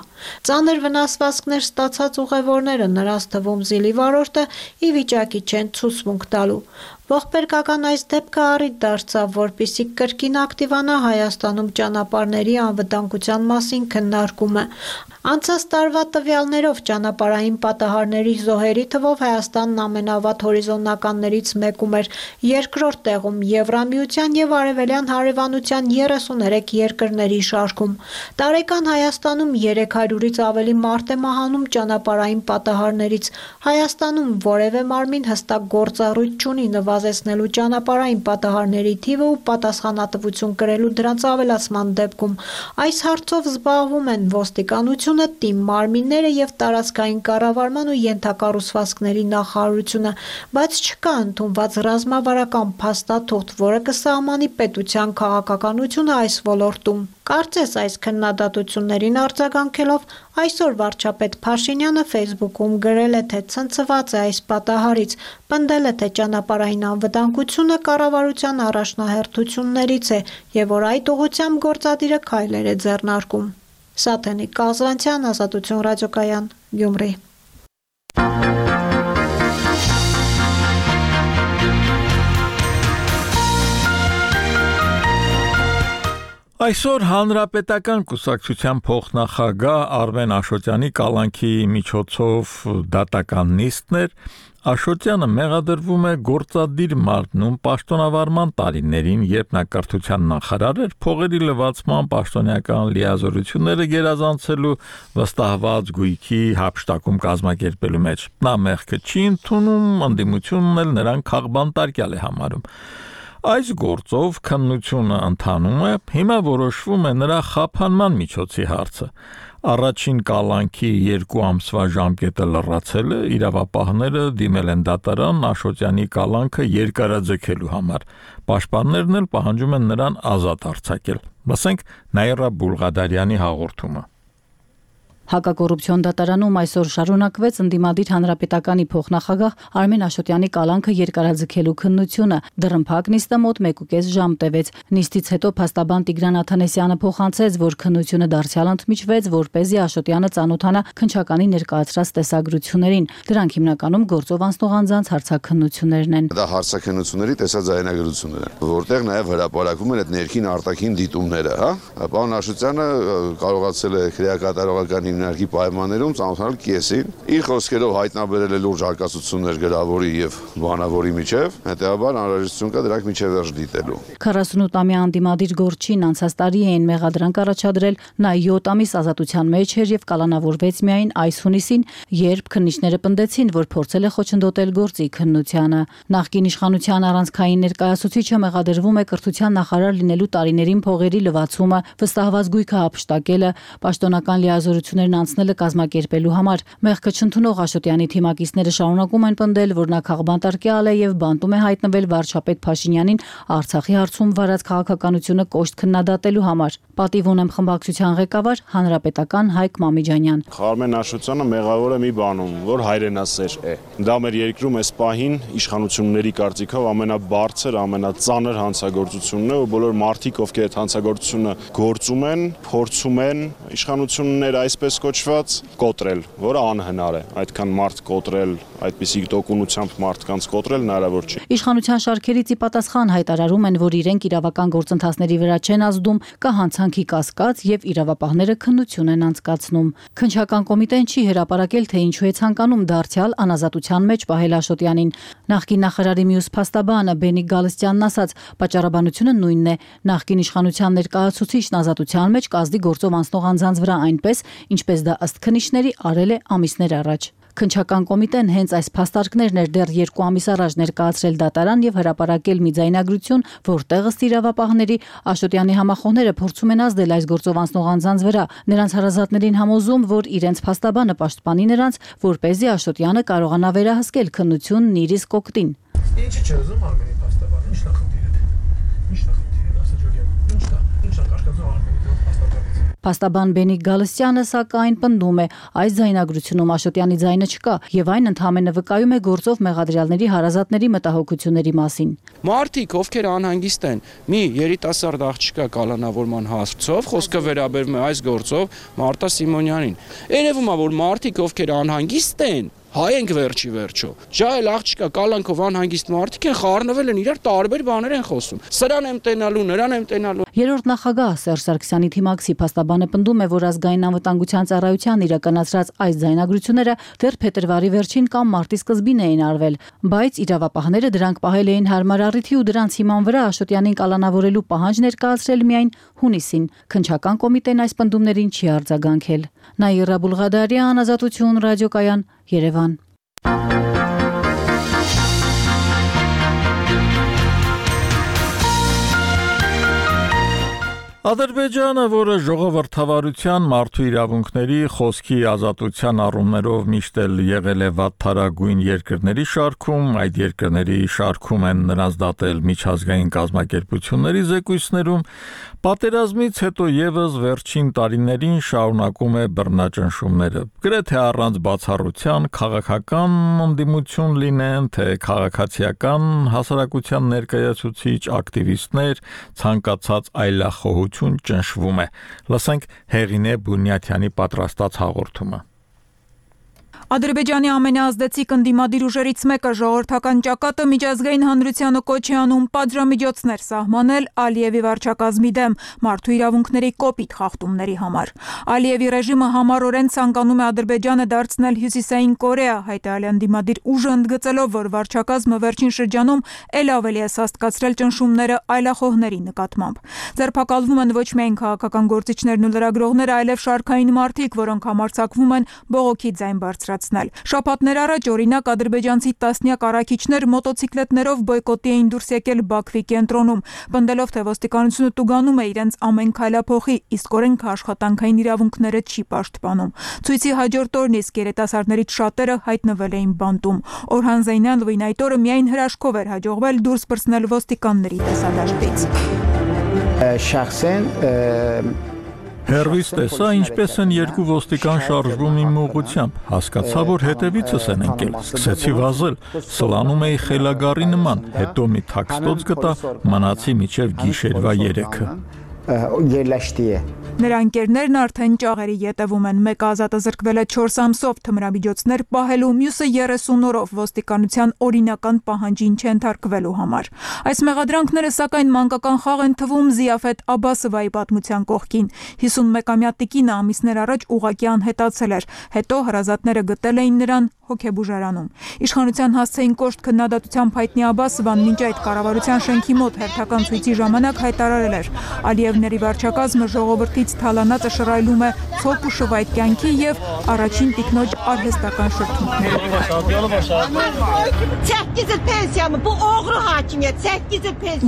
Ծանր վնասվածքներ ստացած ուղևորները, նրանց թվում զիլի վարորդը, ի վիճակի չեն ցուցմունք տալու։ Ողբերգական այս դեպքը առիթ դարձավ, որպեսզի կրկին ակտիվանա Հայաստանում ճանապարհների անվտանգության մասին քննարկումը։ Անցած տարվա տվյալներով ճանապարհային պատահարների զոհերի թվով Հայաստանն ամենավատ հորիզոնականներից մեկում էր, երկրորդ տեղում Եվրամիության եւ Արևելյան հարևանության երեսուներեք երկրների շարքում։ Տարեկան Հայաստանում երեք հարյուրից ավելի մարդ է մահանում ճանապարհային պատահարներից։ Հայաստանում որևէ մարմին հստակ գործառույթ չունի նվազեցնելու ճանապարհային պատահարների թիվը ու պատասխանատվություն կրելու դրանց ավելացման դեպքում։ Այս հարցով զբաղվում են ոստիկանությունը, թիմ մարմինները եւ տարածքային կառավարման ու ենթակառուցվածքների նախարարությունը, բայց չկա ընդունված ռազմավարական փաստաթուղթ, որը կսահմանի պետության քաղաքականությունը այս ոլորտում։ Կարծես այս քննադատություններին արձագանքելով այսօր վարչապետ Փաշինյանը Facebook-ում գրել է, թե ցնցված է այս պատահարից, պնդել է, թե ճանապարհային անվտանգությունը կառավարության առաջնահերթություններից է եւ որ այդ ուղղությամբ գործադիրը քայլեր է ձեռնարկում։ Սաթենիկ Կազանցյան, Ազատություն ռադիոկայան, Գյումրի։ Այսօր Հանրապետական կուսակցության փոխնախագահ Արմեն Աշոտյանի կալանքի միջոցով դատական նիստներ Աշոտյանը մեղադրվում է գործադիր մարմնում պաշտոնավարման տարիներին, երբ նա կրթության նախարար էր, փողերի լվացման պաշտոնյական լիազորությունները գերազանցելու վստահված գույքի հափշտակում կազմակերպելու մեջ։ Նա մեղքը չի ընդունում, ընդդիմությունն էլ նրան քաղբանտարկյալ է համարում։ Այս գործով քննությունը ընթանում է, հիմա որոշվում է նրա խափանման միջոցի հարցը։ Առաջին կալանքի երկու ամսվա ժամկետը լրացել է, իրավապահները դիմել են դատարան Աշոտյանի կալանքը երկարաձգելու համար։ Պաշտպաններն էլ պահանջում են նրան ազատ արձակել։ Լսենք Նաիրա Բուլղադարյանի հաղորդումը։ Հակակոռուպցիոն դատարանում այսօր շարունակվեց ընդդիմադիր հանրապետականի փոխնախագահ Արմեն Աշոտյանի կալանքը երկարաձգելու քննությունը։ Դռնփակ նիստը մոտ մեկուկես ժամ տևեց։ Նիստից հետո փաստաբան Տիգրան Աթանեսյանը փոխանցեց, որ քննությունը դարձյալ ընդմիջվեց, որպեսզի Աշոտյանը ծանոթանա քննչականի ներկայացրած տեսագրություններին։ Դրանք հիմնականում գործով անցնող անձանց հարցաքննություններն են։ Դա հարցաքննությունների տեսաձայնագրություններ են, որտեղ նաև հրապարակում են այդ ներքին արտաքին դիտումները, հա։ Պարոն Աշոտյանը կարողացել է քրեակատարողական հիմնարկի պայմաններում ծանոթանալ կեսին, իր խոսքերով հայտնաբերել է լուրջ արկածություններ գրավորի եւ բանավորի միջև, հետեւաբար անհրաժեշտություն կա դրանք միջև վերջ դիտելու։ քառասունութամյա անդիմադիր գործչին անցած տարի էին մեղադրանք առաջադրել, նա յոթ ամիս ազատության մեջ էր եւ կալանավորվեց միայն այս հունիսին, երբ քննիչները պնդեցին, որ փորձել է խոչընդոտել գործի քննությանը։ Նախկին իշխանության առանցքային ներկայացուցիչը մեղադրվում է կրթության նախարար լինելու տարիներին փողերի լվացումը, վստահված գույքը հափշտակելը, պաշտոնական լիազորություններն անցնելը կազմակերպելու համար։ Մեղքը չընդունող Աշոտյանի թիմակիցները շարունակում են պնդել, որ նա քաղբանտարկյալ է եւ բանտում է հայտնվել վարչապետ Փաշինյանին Արցախի հարցում վարած քաղաքականությունը կոշտ քննադատելու համար։ Պատիվ ունեմ խմբակցության ղեկավար հանրապետական Հայկ Մամիջանյան։ Արմեն Աշոտյանը մեղավոր է մի բանում, որ հայրենասեր է։ Դա մեր երկրում այս պահին իշխանությունների կարծիքով ամենաբարձր, ամենածանր հանցագործությունն է, ու բոլոր մարդիկ, ովքեր այդ հանցագործությունը գործում են, փորձում են իշխանությունները այսպես այսպես կոչված, կոտրել, որը անհնար է։ Այդքան մարդ կոտրել, այդպիսի տոկունությամբ մարդկանց կոտրել հնարավոր չի։ Իշխանության շարքերից ի պատասխան հայտարարում են, որ իրենք իրավական գործընթացների վրա չեն ազդում, կա հանցանքի կասկած եւ իրավապահները քննություն են անցկացնում։ Քննչական կոմիտեն չի հրապարակել, թե ինչու է ցանկանում դարձյալ անազատության մեջ պահել Աշոտյանին։ Նախկին նախարարի մյուս փաստաբանը Բենիկ Գալստյանն ասաց, պատճառաբանությունը նույնն է։ Նախկին իշխանության ներկայացուցիչն ազատության մեջ կազդի գործով անցնող անձանց վրա այնպես, ինչպես դա ըստ քննիչների արել է ամիսներ առաջ։ Քննչական կոմիտեն հենց այս փաստարկներն էր դեռ երկու ամիս առաջ ներկայացրել դատարան եւ հրապարակել մի ձայնագրություն, որտեղ ըստ իրավապահների Աշոտյանի համախոհները փորձում են ազդել այս գործով անցնող անձանց վրա, նրանց հարազատներին համոզում, որ իրենց փաստաբանը պաշտպանի նրանց, որպեսզի Աշոտյանը կարողանա վերահսկել քննությունն իր իսկ օգտին։ Ինչի՞ չէ ուզում Արմենի փաստաբանը, ի՞նչն է խնդիրը։ Ի՞նչն է խնդիրը, ասա Ջորյան։ Ի՞նչն է, ի՞նչն է կաշկածում Արմենի փաստաբանից։ Փաստաբան Բենիկ Գալստյանը սակայն պնդում է, այս ձայնագրությունում Աշոտյանի ձայնը չկա եւ այն ընդհանրապես վկայում է գործով մեղադրյալների հարազատների մտահոգությունների մասին։ Մարդիկ, ովքեր անհանգիստ են, մի երիտասարդ աղջկա կալանավորման հարցով, խոսքը վերաբերում է այս գործով Մարտա Սիմոնյանին։ Երևում է, որ մարդիկ, ովքեր անհանգիստ են, հայ ենք վերջի վերջո։ Ջահել աղջկա կալանքով անհանգիստ մարդիկ են խառնվել են իրար տարբեր բաներ են խոսում։ Սրան եմ տենալու, նրան եմ տենալու։ Երրորդ նախագահ Սերժ Սարգսյանի թիմակցի փաստաբանը պնդում է, որ ազգային անվտանգության ծառայության իրականացրած այս ձայնագրությունները դեռ փետրվարի վերջին կամ մարտի սկզբին էին արվել, բայց իրավապահները դրանք պահել էին հարմար առիթի ու դրանց հիման վրա Աշոտյանին կալանավորելու պահանջ ներկայացրել միայն հունիսին։ Քննչական կոմիտեն այս պնդումներին չի արձագանքել։ Նաիրա Բուլղադարյան, Ազատություն, ռադիոկայան, Երևան։ Ադրբեջանը, որը ժողովրդավարության, մարդու իրավունքների, խոսքի ազատության առումներով միշտ էլ եղել է վատթարագույն երկրների շարքում, այդ երկրների շարքում են նրանց դատել միջազգային կազմակերպությունների զեկույցներում, պատերազմից հետո եւս վերջին տարիներին շարունակում է բռնաճնշումները։ Գրեթե առանց բացառության քաղաքական ընդդիմություն լինեն, թե քաղաքացիական հասարակության ներկայացուցիչ ակտիվիստներ, ցանկացած այլախոհություն ճնշվում է։ Լսենք Հեղինե Բունյաթյանի պատրաստած հաղորդումը։ Ադրբեջանի ամենաազդեցիկ ընդդիմադիր ուժերից մեկը ժողովրդական ճակատը միջազգային հանրությանը կոչ է անում պատժամիջոցներ սահմանել Ալիևի վարչակազմի դեմ մարդու իրավունքների կոպիտ խախտումների համար։ Ալիևի ռեժիմը համառորեն ցանկանում է Ադրբեջանը դարձնել Հյուսիսային Կորեա, հայտարարել ընդդիմադիր ուժը ընդգծելով, որ վարչակազմը վերջին շրջանում ել ավելի է սաստկացրել ճնշումները այլախոհների նկատմամբ։ Ձերբակալվում են ոչ միայն քաղաքական գործիչներն ու լրագրողները, այլև շարքային մարդիկ, որոնք համարձակվում են բողոքի ձայն բարձրացնել։ Շաբաթներ առաջ օրինակ ադրբեջանցի տասնյակ առաքիչներ մոտոցիկլետներով բոյկոտի էին դուրս եկել Բաքվի կենտրոնում, պնդելով, թե ոստիկանությունը տուգանում է իրենց ամեն քայլափոխի, իսկ օրենքը աշխատանքային իրավունքները չի պաշտպանում։ Ցույցի հաջորդ օրն իսկ երիտասարդներից շատերը հայտնվել էին բանտում։ Օրհան Զեյնալովին այդ օրը միայն հրաշքով էր հաջողվել դուրս պրծնել ոստիկանների տեսադաշտից։ Շախսեն Հերվից տեսա, ինչպես են երկու ոստիկան շարժվում իմ ուղղությամբ, հասկացա, որ հետևիցս են ընկել, սկսեցի վազել, սլանում էի խելագարի նման, հետո մի թաքստոց գտա, մնացի մինչև գիշերվա երեքը։ Yerləşdiyi Նրա ընկերներն արդեն ճաղերի ետևում են, մեկը ազատը զրկվել է չորս ամսով թմրամիջոցներ պահելու, մյուսը երեսուն օրով ոստիկանության օրինական պահանջին չենթարկվելու համար։ Այս մեղադրանքները սակայն մանկական խաղ են թվում Զիաֆետ Աբասովայի պատմության կողքին։ հիսունմեկամյա տիկինը ամիսներ առաջ ուղղակի անհետացել էր, հետո հարազատները գտել էին նրան հոգեբուժարանում։ Իշխանության հասցեին կոշտ քննադատությամբ հայտնի Աբասովան մինչ այդ կառավարության շենքի մոտ հերթական ցույցի ժամանակ հայտարարել էր. Ալիևների վարչակազմը ժողովրդից թալանածը շռայլում է ցոփ ու շվայտ կյանքի եւ առաջին տիկնոջ արհեստական շրթունքներով։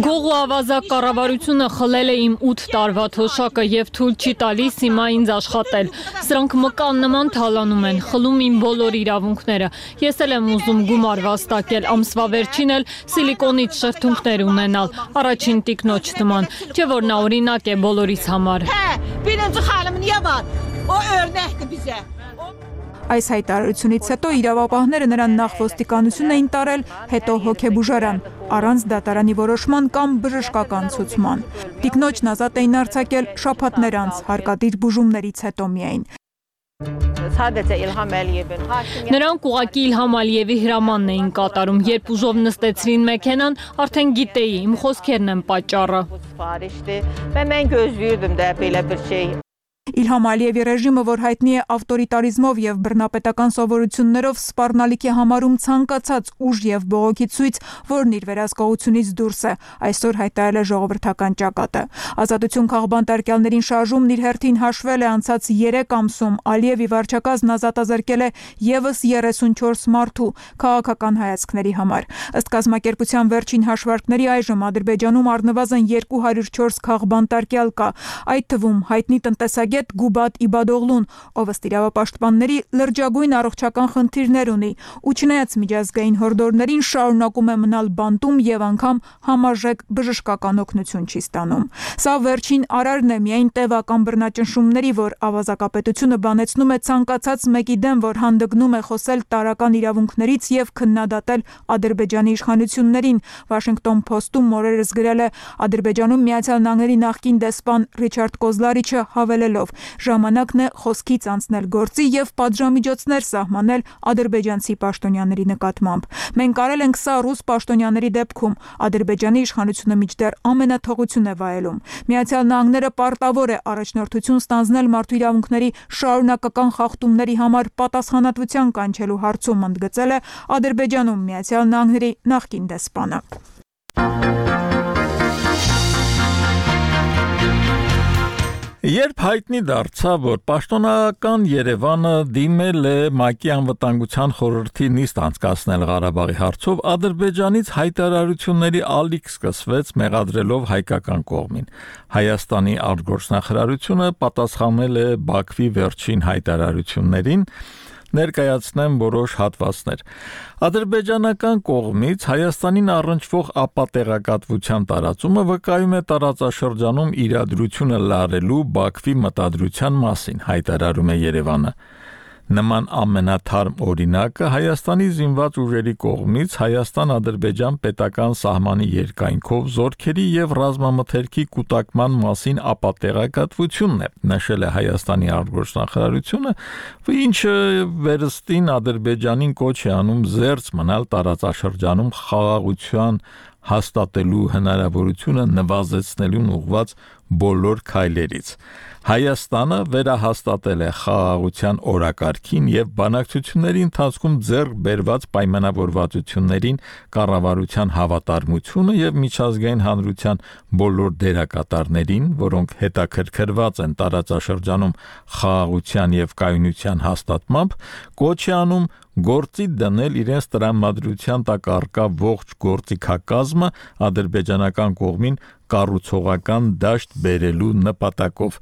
Գողու ավազակ կառավարությունը խլել է իմ ութ տարվա թոշակը եւ թույլ չի տալիս հիմա ինձ աշխատել։ Սրանք մկան նման թալանում են, խլում իմ բոլոր իրավունքները։ Ես էլ եմ ուզում գումար վաստակել, ամսվա վերջին էլ սիլիկոնից շրթունքներ ունենալ, առաջին տիկնոջ նման, չէ՞ որ նա օրինակ է բոլորիս համար։ Այս հայտարարությունից հետո իրավապահները նրան նախ ոստիկանություն էին տարել, հետո հոգեբուժարան, առանց դատարանի որոշման կամ բժշկական ցուցման։ Տիկնոջն ազատ էին արձակել շաբաթներ անց հարկադիր բուժումներից հետո միայն։ Նրանք ուղղակի Իլհամ Ալիևի հրամանն էին կատարում, երբ ուժով նստեցրին մեքենան, արդեն գիտեի, իմ խոսքերն են պատճառը։ Իլհամ Ալիևի ռեժիմը, որ հայտնի է ավտորիտարիզմով եւ բռնապետական սովորություններով, սպառնալիք է համարում ցանկացած ուժ եւ բողոքի ցույց, որն իր վերահսկողությունից դուրս է, այսօր հայտարարել է ժողովրդական ճակատը։ Ազատություն քաղբանտարկյալներին շարժումն իր հերթին հաշվել է անցած երեք ամսում, Ալիևի վարչակազմն ազատազրկել է եւս երեսունչորս մարդու քաղաքական հայացքների համար։ Ըստ կազմակերպության վերջին հաշվարկների այժմ Ադրբեջանում առնվազն երկու հարյուր չորս քաղբանտարկյալ կա, այդ թվում հայտնի տնտեսագետ Գուբատ Իբադօղլուն, ով ըստ իրավապաշտպանների լրջագույն առողջական խնդիրներ ունի ու չնայած միջազգային հորդորներին շարունակում է մնալ բանտում եւ անգամ համարժեք բժշկական օգնություն չի ստանում։ Սա վերջին արարն է միայն տևական բռնաճնշումների, որ ավազակապետությունը բանեցնում է ցանկացած մեկի դեմ, որ հանդգնում է խոսել տարրական իրավունքներից եւ քննադատել Ադրբեջանի իշխանություններին։ Washington Post-ում օրերս գրել է Ադրբեջանում Միացյալ Նահանգների նախկին դեսպան Ռիչարդ Կոզլարիչը հավելելով. Ժամանակն է խոսքից անցնել գործի եւ պատժամիջոցներ սահմանել ադրբեջանցի պաշտոնյաների նկատմամբ։ Մենք արել ենք սա ռուս պաշտոնյաների դեպքում։ Ադրբեջանի իշխանությունը մինչդեռ ամենաթողություն է վայելում։ Միացյալ Նահանգները պարտավոր է առաջնորդություն ստանձնել մարդու իրավունքների շարունակական խախտումների համար պատասխանատվության կանչելու հարցում, ընդգծել է Ադրբեջանում Միացյալ Նահանգների նախկին դեսպանը։ Երբ հայտնի դարձավ, որ պաշտոնական Երևանը դիմել է ՄԱԿ-ի անվտանգության խորհրդի նիստ անցկացնել Ղարաբաղի հարցով, Ադրբեջանից հայտարարությունների ալիք սկսվեց մեղադրելով հայկական կողմին։ Հայաստանի արտգործնախարարությունը պատասխանել է Բաքվի վերջին հայտարարություններին, ներկայացնեմ որոշ հատվածներ։ Ադրբեջանական կողմից Հայաստանին առնչվող ապատեղեկատվության տարածումը վկայում է տարածաշրջանում իրադրությունը լարելու Բաքվի մտադրության մասին, հայտարարում է Երևանը։ Նման ամենաթարմ օրինակը Հայաստանի զինված ուժերի կողմից Հայաստան-Ադրբեջան պետական սահմանի երկայնքով զորքերի եւ ռազմամթերքի կուտակման մասին ապատեղեկատվությունն է, նշել է Հայաստանի արտգործնախարարությունը, ինչը վերստին Ադրբեջանին կոչ է անում զերծ մնալ տարածաշրջանում խաղաղության հաստատելու հնարավորությունը նվազեցնելուն ուղղված բոլոր քայլերից։ Հայաստանը վերահաստատել է խաղաղության օրակարգին եւ բանակցությունների ընթացքում ձեռք բերված պայմանավորվածություններին կառավարության հավատարմությունը եւ միջազգային հանրության բոլոր դերակատարներին, որոնք հետաքրքրված են տարածաշրջանում խաղաղության եւ կայունության հաստատմամբ, կոչ է անում գործի դնել իրենց տրամադրության տակ առկա ողջ գործիքակազմը ադրբեջանական կողմին կառուցողական դաշտ բերելու նպատակով։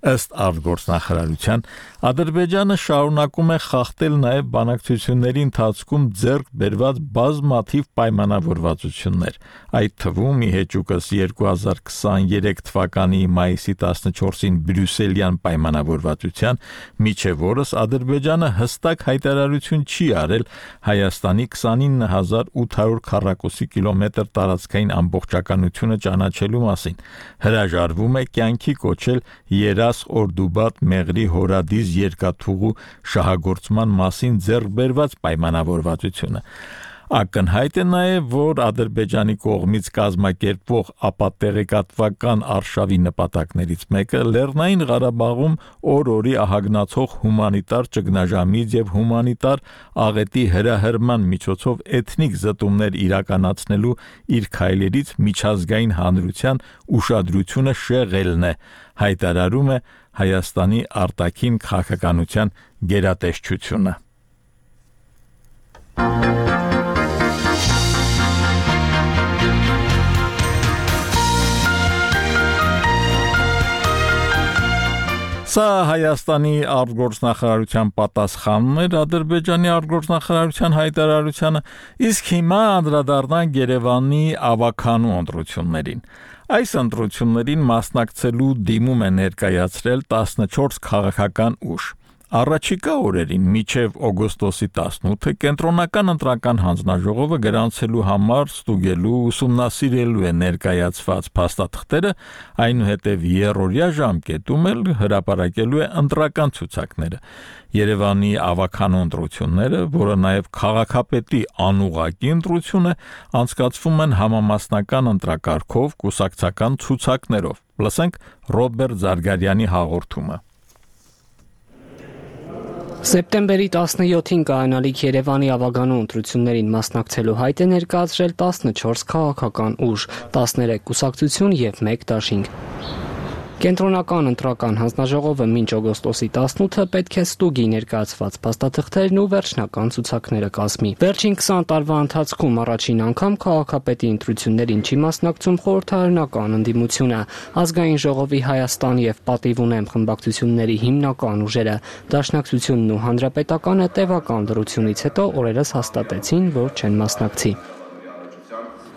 Ըստ արտգործնախարարության, Ադրբեջանը շարունակում է խախտել նաև բանակցությունների ընթացքում ձեռք բերված բազմաթիվ պայմանավորվածություններ, այդ թվում ի հեճուկս երկու հազար քսաներեք թվականի մայիսի տասնչորսին Բրյուսելյան պայմանավորվածության, միջև օրս Ադրբեջանը հստակ հայտարարություն չի արել Հայաստանի քսանինը հազար ութ հարյուր քառակուսի կիլոմետր տարածքային ամբողջականությունը ճանաչելու մասին, հրաժարվում է կյանքի կոչել Երաս Օրդուբատ Մեղրի Հորադիզ երկաթուղու շահագործման մասին ձեռք բերված պայմանավորվածությունը։ Ակնհայտ է նաև, որ Ադրբեջանի կողմից կազմակերպվող ապատեղեկատվական արշավի նպատակներից մեկը Լեռնային Ղարաբաղում օր-օրի ահագնացող հումանիտար ճգնաժամից եւ հումանիտար աղետի հրահրման միջոցով էթնիկ զտումներ իրականացնելու իր քայլերից միջազգային հանրության ուշադրությունը շեղելն է, հայտարարում է Հայաստանի արտաքին քաղաքականության գերատեսչությունը։ Սա Հայաստանի արտգործնախարարության պատասխանն էր Ադրբեջանի արտգործնախարարության հայտարարությանը, իսկ հիմա անդրադառնանք Երևանի ավականու ընտրություններին։ Այս ընտրություններին մասնակցելու դիմում է ներկայացրել տասնչորս քաղաքական ուժ։ Առաջիկա օրերին մինչև օգոստոսի տասնութը կենտրոնական ընտրական հանձնաժողովը գրանցելու համար ստուգելու ուսումնասիրելու է ներկայացված փաստաթղթերը, այնուհետև երրորդյա ժամկետում էլ հրապարակելու է ընտրական ցուցակները։ Երևանի ավականու ընտրությունները, որը նաև քաղաքապետի անուղղակի ընտրություն է, անցկացվում են համամասնական ընտրակարգով կուսակցական ցուցակներով։ Լսենք Ռոբերտ Զարգարյանի հաղորդումը։ Սեպտեմբերի տասնյոթին կայանալիք Երևանի ավականու ընտրություններին մասնակցելու հայտ է ներկայացրել տասնչորս քաղաքական ուժ, տասներեք կուսակցություն եւ մեկ դաշինք։ Կենտրոնական ընտրական հանձնաժողովը մինչ օգոստոսի տասնութը պետք է ստուգի ներկայացված փաստաթղթերն ու վերջնական ցուցակները կազմի։ Վերջին քսան տարվա ընթացքում առաջին անգամ քաղաքապետի ընտրություններին չի մասնակցում խորհրդարանական ընդդիմությունը։ Ազգային ժողովի Հայաստան եւ Պատիվ ունեմ խմբակցությունների հիմնական ուժերը, Դաշնակցությունն ու Հանրապետականը տևական դրությունից հետո օրերս հաստատեցին, որ չեն մասնակցի։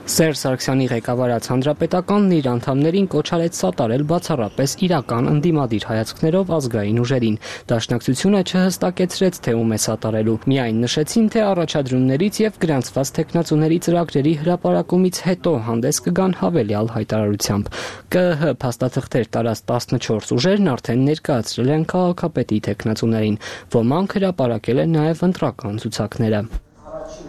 Սերժ Սարգսյանի ղեկավարած Հանրապետականն իր անդամներին կոչ արեց սատարել բացառապես իրական ընդդիմադիր հայացքներով ազգային ուժերին։ Դաշնակցությունը չհստակեցրեց, թե ում է սատարելու։ Միայն նշեցին, թե առաջադրումներից եւ գրանցված տեխնացուների ծրագրերի հրապարակումից հետո հանդես կգան հավելյալ հայտարարությամբ։ ԿԸՀ փաստաթղթեր տարած տասնչորս ուժերն արդեն ներկայացրել են քաղաքապետի տեխնացուներին։ Ոմանք հրապարակել են նաեւ ընտրական ցուցակները։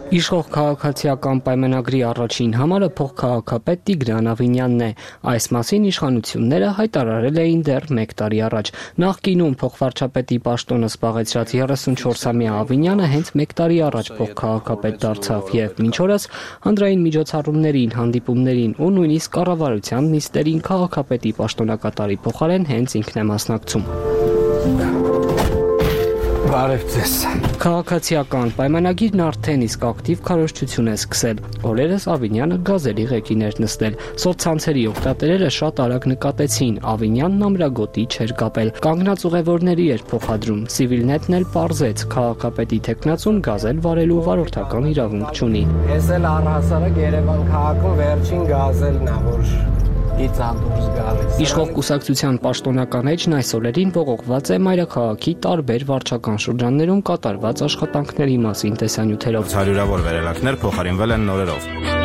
Իշխող քաղաքացիական պայմանագրի առաջին համարը փոխքաղաքապետ Տիգրան Ավինյանն է։ Այս մասին իշխանությունները հայտարարել էին դեռ մեկ տարի առաջ։ Նախկինում փոխվարչապետի պաշտոնը զբաղեցրած երեսունչորսամյա Ավինյանը հենց մեկ տարի առաջ փոխքաղաքապետ դարձավ եւ մինչ օրս հանրային միջոցառումներին, հանդիպումներին ու նույնիսկ կառավարության նիստերին քաղաքապետի պաշտոնակատարի փոխարեն հենց ինքն է մասնակցում։ Բարև ձեզ։ Քաղաքացիական պայմանագիրն արդեն իսկ ակտիվ քարոզչություն է սկսել։ Օրերս Ավինյանը գազելի ղեկին էր նստել։ Սոցցանցերի օգտատերերը շատ արագ նկատեցին, Ավինյանն ամրագոտի չէր կապել։ Կանգնած ուղևորների էր փոխադրում։ Civilnet-ն էլ պարզեց, քաղաքապետի տեխնացուն գազել վարելու վարորդական իրավունք չունի։ Ես էլ առհասարակ Երևան քաղաքում վերջին գազելն է, որ Իշխող կուսակցության պաշտոնական էջն այս օրերին ողողված է մայրաքաղաքի տարբեր վարչական շրջաններում կատարված աշխատանքների մասին տեսանյութերով։ Հարյուրավոր վերելակներ փոխարինվել են նորերով։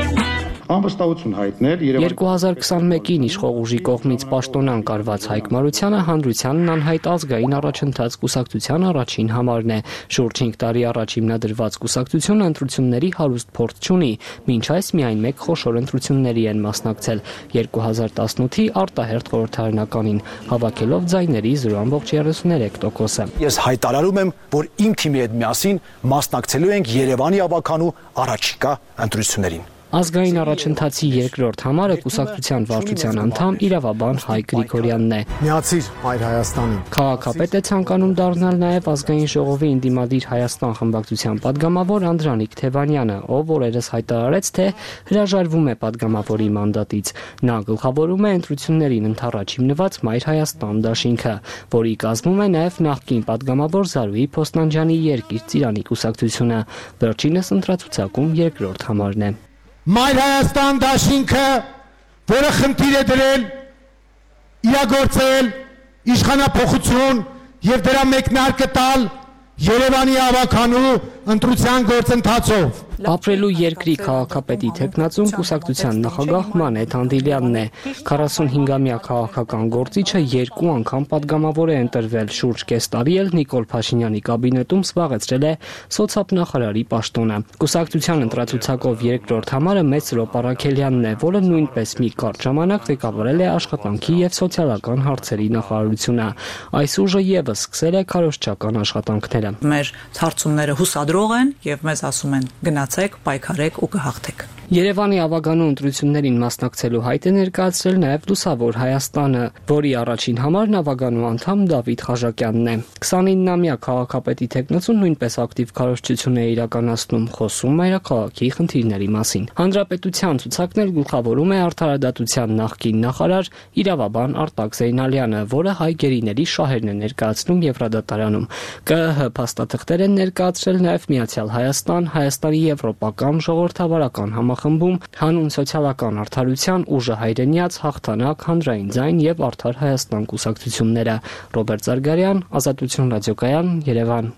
Անվստահություն հայտնել երկու հազար քսանմեկին իշխող ուժի կողմից պաշտոնան կարված Հայկ Մարությանը հանրությանն անհայտ ազգային առաջընթաց կուսակցության առաջին համարն է։ Շուրջ հինգ տարի առաջ հիմնադրված կուսակցությունը ընտրությունների հարուստ փորձ չունի, մինչ այս միայն մեկ խոշոր ընտրությունների են մասնակցել երկու հազար տասնութի արտահերթ խորհրդարանականին, հավաքելով ձայների զրո ամբողջ երեսուներեք տոկոսը։ Ես հայտարարում եմ, որ իմ թիմի հետ միասին մասնակցելու ենք Երևանի ավականու առաջիկա ընտրություններին։ Ազգային առաջընթացի երկրորդ համարը կուսակցության վարչության անդամ իրավաբան Հայկ Գրիգորյանն է։ Միացիր Մայր Հայաստանին։ Քաղաքապետ է ցանկանում դառնալ նաև Ազգային ժողովի Ինդիմադիր Հայաստան խմբակցության падգամավոր Անդրանիկ Թևանյանը, ով օրերս հայտարարեց, թե հրաժարվում է падգամավորի մանդատից։ Նա գլխավորում է ընտրություններին ընդառաջ հիմնված Մայր Հայաստան դաշինքը, որի կազմում է նաև նախկին падգամավոր Զարուհի Փոստանջյանի Երկիր Ծիրանի կուսակցությունը։ Վերջինս ընտրացուցակում երկրորդ համարն է։ Մայր Հայաստան դաշինքը, որը խնդիր է դրել, իրագործել իշխանափոխություն եւ դրա մեկնարկը տալ Երևանի ավականու ընտրության գործընթացով։ Ապրելու երկրի քաղաքապետի տեխնացուն կուսակցության նախագահ Մանեթ Անդիլյանն է։ քառասունհինգամյա քաղաքական գործիչը երկու անգամ падգամավոր է ընտրվել, շուրջ կես տարի էլ Նիկոլ Փաշինյանի կաբինետում զբաղեցրել է սոցիալ-նախարարի պաշտոնը։ Կուսակցության ընտրացուցակով երկրորդ համարը Մեծ Սրոպ Առաքելյանն է, որը նույնպես մի կարճ ժամանակ ղեկավարել է աշխատանքի եւ սոցիալական հարցերի նախարարությունը։ Այս ուժը եւս սկսել է քարոզչական աշխատանքները։ Մեր հարցումները հուսադրող են եւ մեզ ասում են գնացեք, պայքարեք ու կհաղթեք։ Երևանի ավականու ընտրություններին մասնակցելու հայտ է ներկայացրել նաև Լուսավոր Հայաստանը, որի առաջին համարն ավականու անդամ Դավիթ Խաժակյանն է։ քսանիննամյա քաղաքապետի տեխնացուն նույնպես ակտիվ քարոզչություն է իրականացնում, խոսում մայրաքաղաքի խնդիրների մասին։ Հանրապետության ցուցակն էլ գլխավորում է արդարադատության նախկին նախարար իրավաբան Արտակ Զեյնալյանը, որը հայ գերիների շահերն է ներկայացնում Եվրադատարանում։ ԿԸՀ փաստաթղթեր են ներկայացրել նաև Միացյալ Հայաստան, Հայաստանի եվրոպական ժողովրդավարական համախմբում հանուն սոցիալական արդարության ուժը հայրենիաց, հաղթանակ, հանրային ձայն եւ արդար Հայաստան կուսակցությունները։ Ռոբերտ Զարգարյան, Ազատություն ռադիոկայան, Երևան։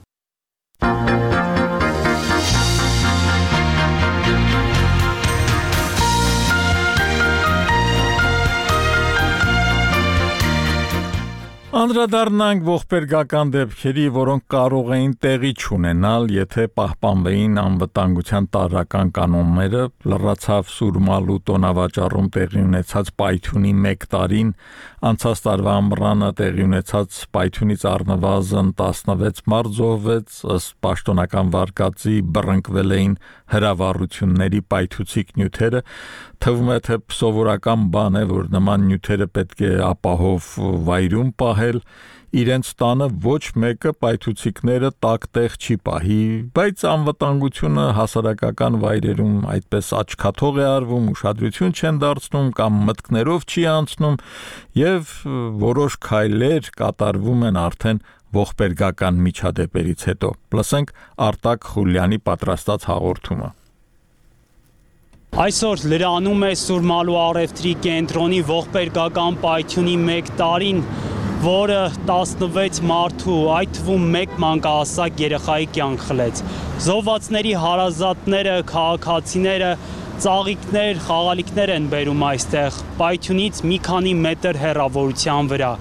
Անդրադառնանք ողբերգական դեպքերի, որոնք կարող էին տեղի չունենալ, եթե պահպանվեին անվտանգության տարրական կանոնները, լրացավ Սուրմալու տոնավաճառում տեղի ունեցած պայթյունի մեկ տարին, անցած տարվա ամռանը տեղի ունեցած պայթյունից առնվազն տասնվեց մարդ զոհվեց, ըստ պաշտոնական վարկածի բռնկվել էին հրավառությունների պայթուցիկ նյութերը, թվում է թե սովորական բան է, որ նման նյութերը պետք է ապահով վայրում պահել, իրենց տանը ոչ մեկը պայթուցիկները տաք տեղ չի պահի, բայց անվտանգությունը հասարակական վայրերում այդպես աչքաթող է արվում, ուշադրություն չեն դարձնում կամ մտքներով չի անցնում եւ որոշ քայլեր կատարվում են արդեն ողբերգական միջադեպերից հետո։ Լսենք Արտակ Խուլյանի պատրաստած հաղորդումը։ Այսօր լրանում է Սուրմալու առևտրի կենտրոնի ողբերգական պայթյունի մեկ տարին, որը տասնվեց մարդու, այդ թվում մեկ մանկահասակ երեխայի կյանք խլեց։ Զոհվածների հարազատները, քաղաքացիները, ծաղիկներ, խաղալիքներ են բերում այստեղ, պայթյունից մի քանի մետր հեռավորության վրա։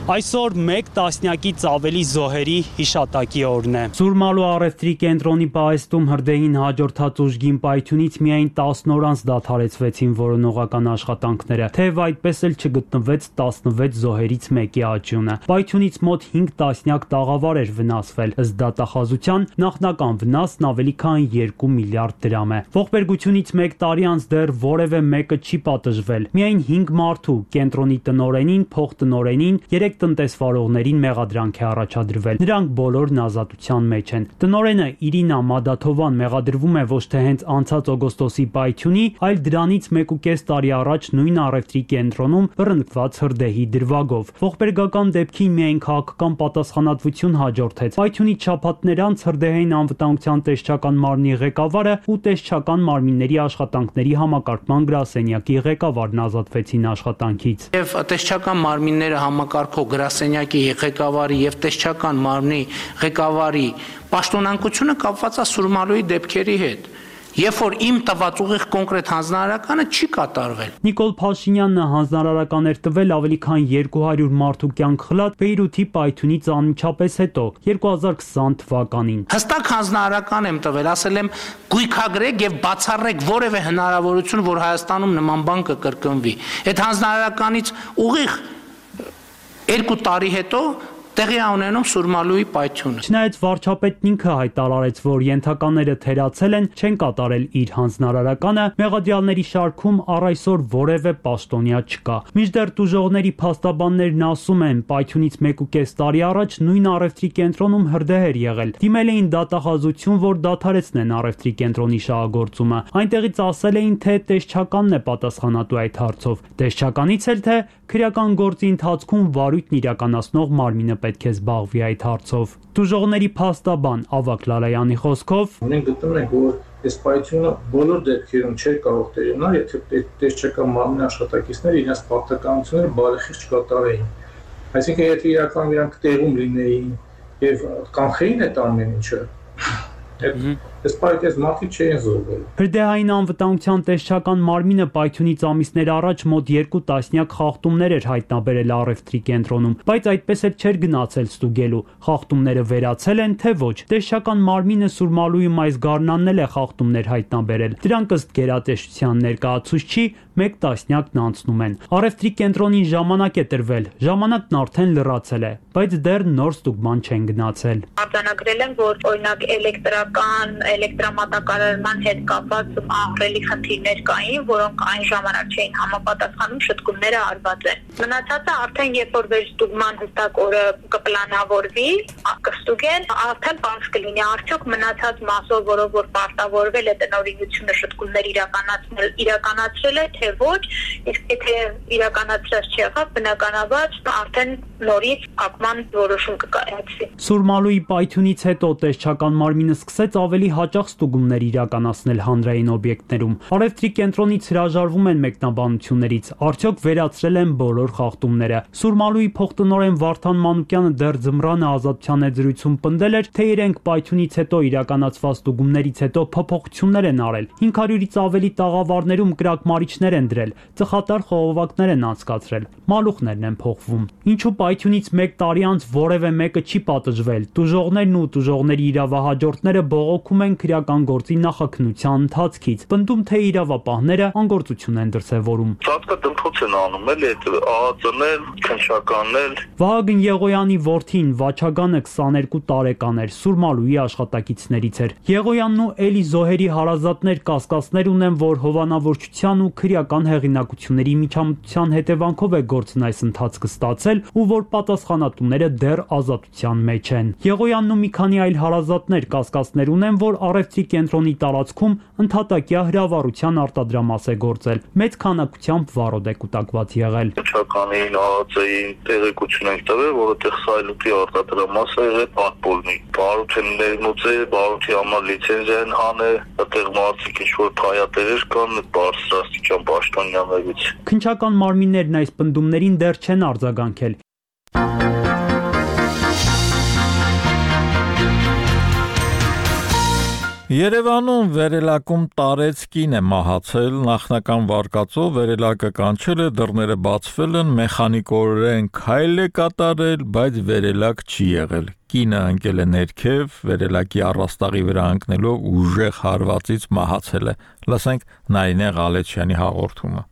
Այսօր մեկ տասնյակից ավելի զոհերի հիշատակի օրն է։ Սուրմալու առևտրի կենտրոնի պահեստում հրդեհին հաջորդած ուժգին պայթյունից միայն տասն օր անց դադարեցվեցին որոնողական աշխատանքները, թեև այդպես էլ չգտնվեց տասնվեց զոհերից մեկի աճյունը։ Պայթյունից մոտ հինգ տասնյակ տաղավար էր վնասվել, ըստ դատախազության նախնական վնասն ավելի քան երկու միլիարդ դրամ է։ Ողբերգությունից մեկ տարի անց դեռ որևէ մեկը չի պատժվել։ Միայն հինգ մարդու կենտրոնի տնօրենին, փոխտնօրենին, երեք տնտեսվարողներին մեղադրանք է առաջադրվել։ Նրանք բոլորն ազատության մեջ են։ Տնօրենը Իրինա Մադաթովան մեղադրվում է ոչ թե հենց անցած օգոստոսի պայթյունի, այլ դրանից մեկ ու կես տարի առաջ նույն առևտրի կենտրոնում բռնկված հրդեհի դրվագով։ Ողբերգական դեպքին միայն քաղաքական պատասխանատվություն հաջորդեց։ Պայթյունի շաբաթներ անց հրդեհային անվտանգության տեսչական մարմնի ղեկավարը ու տեսչական մարմինների աշխատանքների համակարգման գրասենյակի ղեկավարն ազատվեցին աշխատանքից։ Եվ տեսչական մարմինները համակարգ գրասենյակի ղեկավարի եւ տեսչական մարմնի ղեկավարի պաշտոնանկությունը կապված է Սուրմալուի դեպքերի հետ, երբ որ իմ տված ուղիղ կոնկրետ հանձնարարականը չի կատարվել։ Նիկոլ Փաշինյանը հանձնարարական էր տվել ավելի քան երկու հարյուր մարդու կյանք խլած Բեյրութի պայթյունից անմիջապես հետո երկու հազար քսան թվականին։ Հստակ հանձնարարական եմ տվել, ասել եմ գույքագրեք եւ բացառեք որևէ հնարավորություն, որ Հայաստանում նման բան կկրկնվի։ Այդ հանձնարարականից ուղիղ երկու տարի հետո տեղի է ունենում Սուրմալուի պայթյունը։ Չնայած վարչապետն ինքը հայտարարեց, որ ենթակաները թերացել են, չեն կատարել իր հանձնարարականը, մեղադրյալների շարքում առ այսօր որևէ պաշտոնյա չկա։ Մինչդեռ տուժողների փաստաբաններն ասում են, պայթյունից մեկ ու կես տարի առաջ նույն առևտրի կենտրոնում հրդեհ էր եղել։ Դիմել էին դատախազություն, որ դադարեցնեն առևտրի կենտրոնի շահագործումը։ Այնտեղից ասել էին, թե տեսչականն է պատասխանատու այդ հարցով։ Տեսչականից էլ թե քրեական գործի ընթացքում վարույթն իրականացնող մարմինը պետք է զբաղվի այդ հարցով։ Տուժողների փաստաբան Ավագ Լալայանի խոսքով մենք գտնում ենք, որ այս պայթյունը բոլոր դեպքերում չէր կարող տեղի ունենալ, եթե տեսչական մարմնի աշխատակիցները իրենց պարտականությունները բարեխիղճ չկատարեին։ Այսինքն, եթե իրականում իրանք տեղում լինեին եւ կանխեին այդ ամեն ինչը, Այս պայթյունից մարդիկ չէին զոհվել։ Հրդեհային անվտանգության տեսչական մարմինը պայթյունից ամիսներ առաջ մոտ երկու տասնյակ խախտումներ էր հայտնաբերել առևտրի կենտրոնում, բայց այդպես էլ չէր գնացել ստուգելու։ Խախտումները վերացել են, թե ոչ։ Տեսչական մարմինը Սուրմալուում այս գարնանն էլ է խախտումներ հայտնաբերել։ Դրանք ըստ գերատեսչության ներկայացուցչի մեկ տասնյակն անցնում են։ Առևտրի կենտրոնին ժամանակ է տրվել, ժամանակն արդեն լրացել է, բայց դեռ նոր ստուգման չեն գնացել։ Արձանագրել են, որ օրինակ էլեկտրական էլեկտրամատակարարման հետ կապված ահռելի խնդիրներ կային, որոնք այն ժամանակ չէին համապատասխանում, շտկումները արված են։ Մնացածը արդեն երբ որ վերստուգման հստակ օրը կպլանավորվի, կստուգեն, արդեն պարզ կլինի արդյոք մնացած մասով, որով որ պարտավորվել է տնօրինությունը շտկումներ իրականացնել, իրականացրել է, թե ոչ, իսկ եթե իրականացրած չեղավ, բնականաբար արդեն նորից ակման որոշում կկայացվի։ Սուրմալուի պայթյունից հետո տեսչական մարմինը սկսեց ավելի հաճախ ստուգումներ իրականացնել հանրային օբյեկտներում։ Առևտրի կենտրոնից հրաժարվում են մեկնաբանություններից, արդյոք վերացրել են բոլոր խախտումները։ Սուրմալուի փոխտնօրեն Վարդան Մանուկյանը դեռ ձմռանը Ազատության եզրույցում պնդել էր, թե իրենք Պայթյունից հետո իրականացված ստուգումներից հետո փոփոխություններ են արել։ հինգ հարյուրից ավելի տաղավարներում կրակմարիչներ են դրել, ծխատար խողովակներ են անցկացրել, մալուխներն են փոխվում։ Ինչու Պայթյունից մեկ տարի անց որևէ մեկը չի պատժվել։ Տուժողներն ու տուժողների իրավահաջորդները բողոքում են քրեական գործի նախաքննության ընթացքից, պնդում թե իրավապահները անգործություն են դրսևորում։ Ծածկա դմփոց են անում, էլի այդ ԱԱԾ-ներ, քննչականներ։ Վահագն Եղոյանի որդին Վաչագանը քսաներկու տարեկան էր, Սուրմալուի աշխատակիցներից էր։ Եղոյանն ու Էլի Զոհերի հարազատներ կասկածներ ունեն, որ հովանավորչության ու քրեական հեղինակությունների միջամտության հետևանքով է գործն այս ընթացքը ստացել ու որ պատասխանատուները դեռ ազատության մեջ են։ Եղոյանն ու մի քանի այլ հարազատներ կասկածներ ունեն, որ առևտրի կենտրոնի տարածքում ընդհատակյա հրավառության արտադրամաս է գործել, մեծ քանակությամբ վարոդ է կուտակված եղել։ Քնչականին, ԱԱԾ-ին տեղեկություն ենք տվել, որ այդտեղ սայլուտի արտադրամաս է եղել պատպոլնի։ Բարութեն ներմուծել, բարութի համար լիցենզիա են հանել, այդտեղ մարդիկ ինչ-որ թայատերեր կան բարձրաստիճան պաշտոնյաներից։ Քնչական մարմիններն այս պնդումներին դեռ չեն արձագանքել։ Երևանում վերելակում տարեց կին է մահացել, նախնական վարկածով վերելակը կանչել է, դռները բացվել են, մեխանիկորեն քայլ է կատարել, բայց վերելակ չի եղել։ Կինը ընկել է ներքև, վերելակի առաստաղի վրա ընկնելով ուժեղ հարվածից մահացել է։ Լսենք Նայինե Ղալեչյանի հաղորդումը։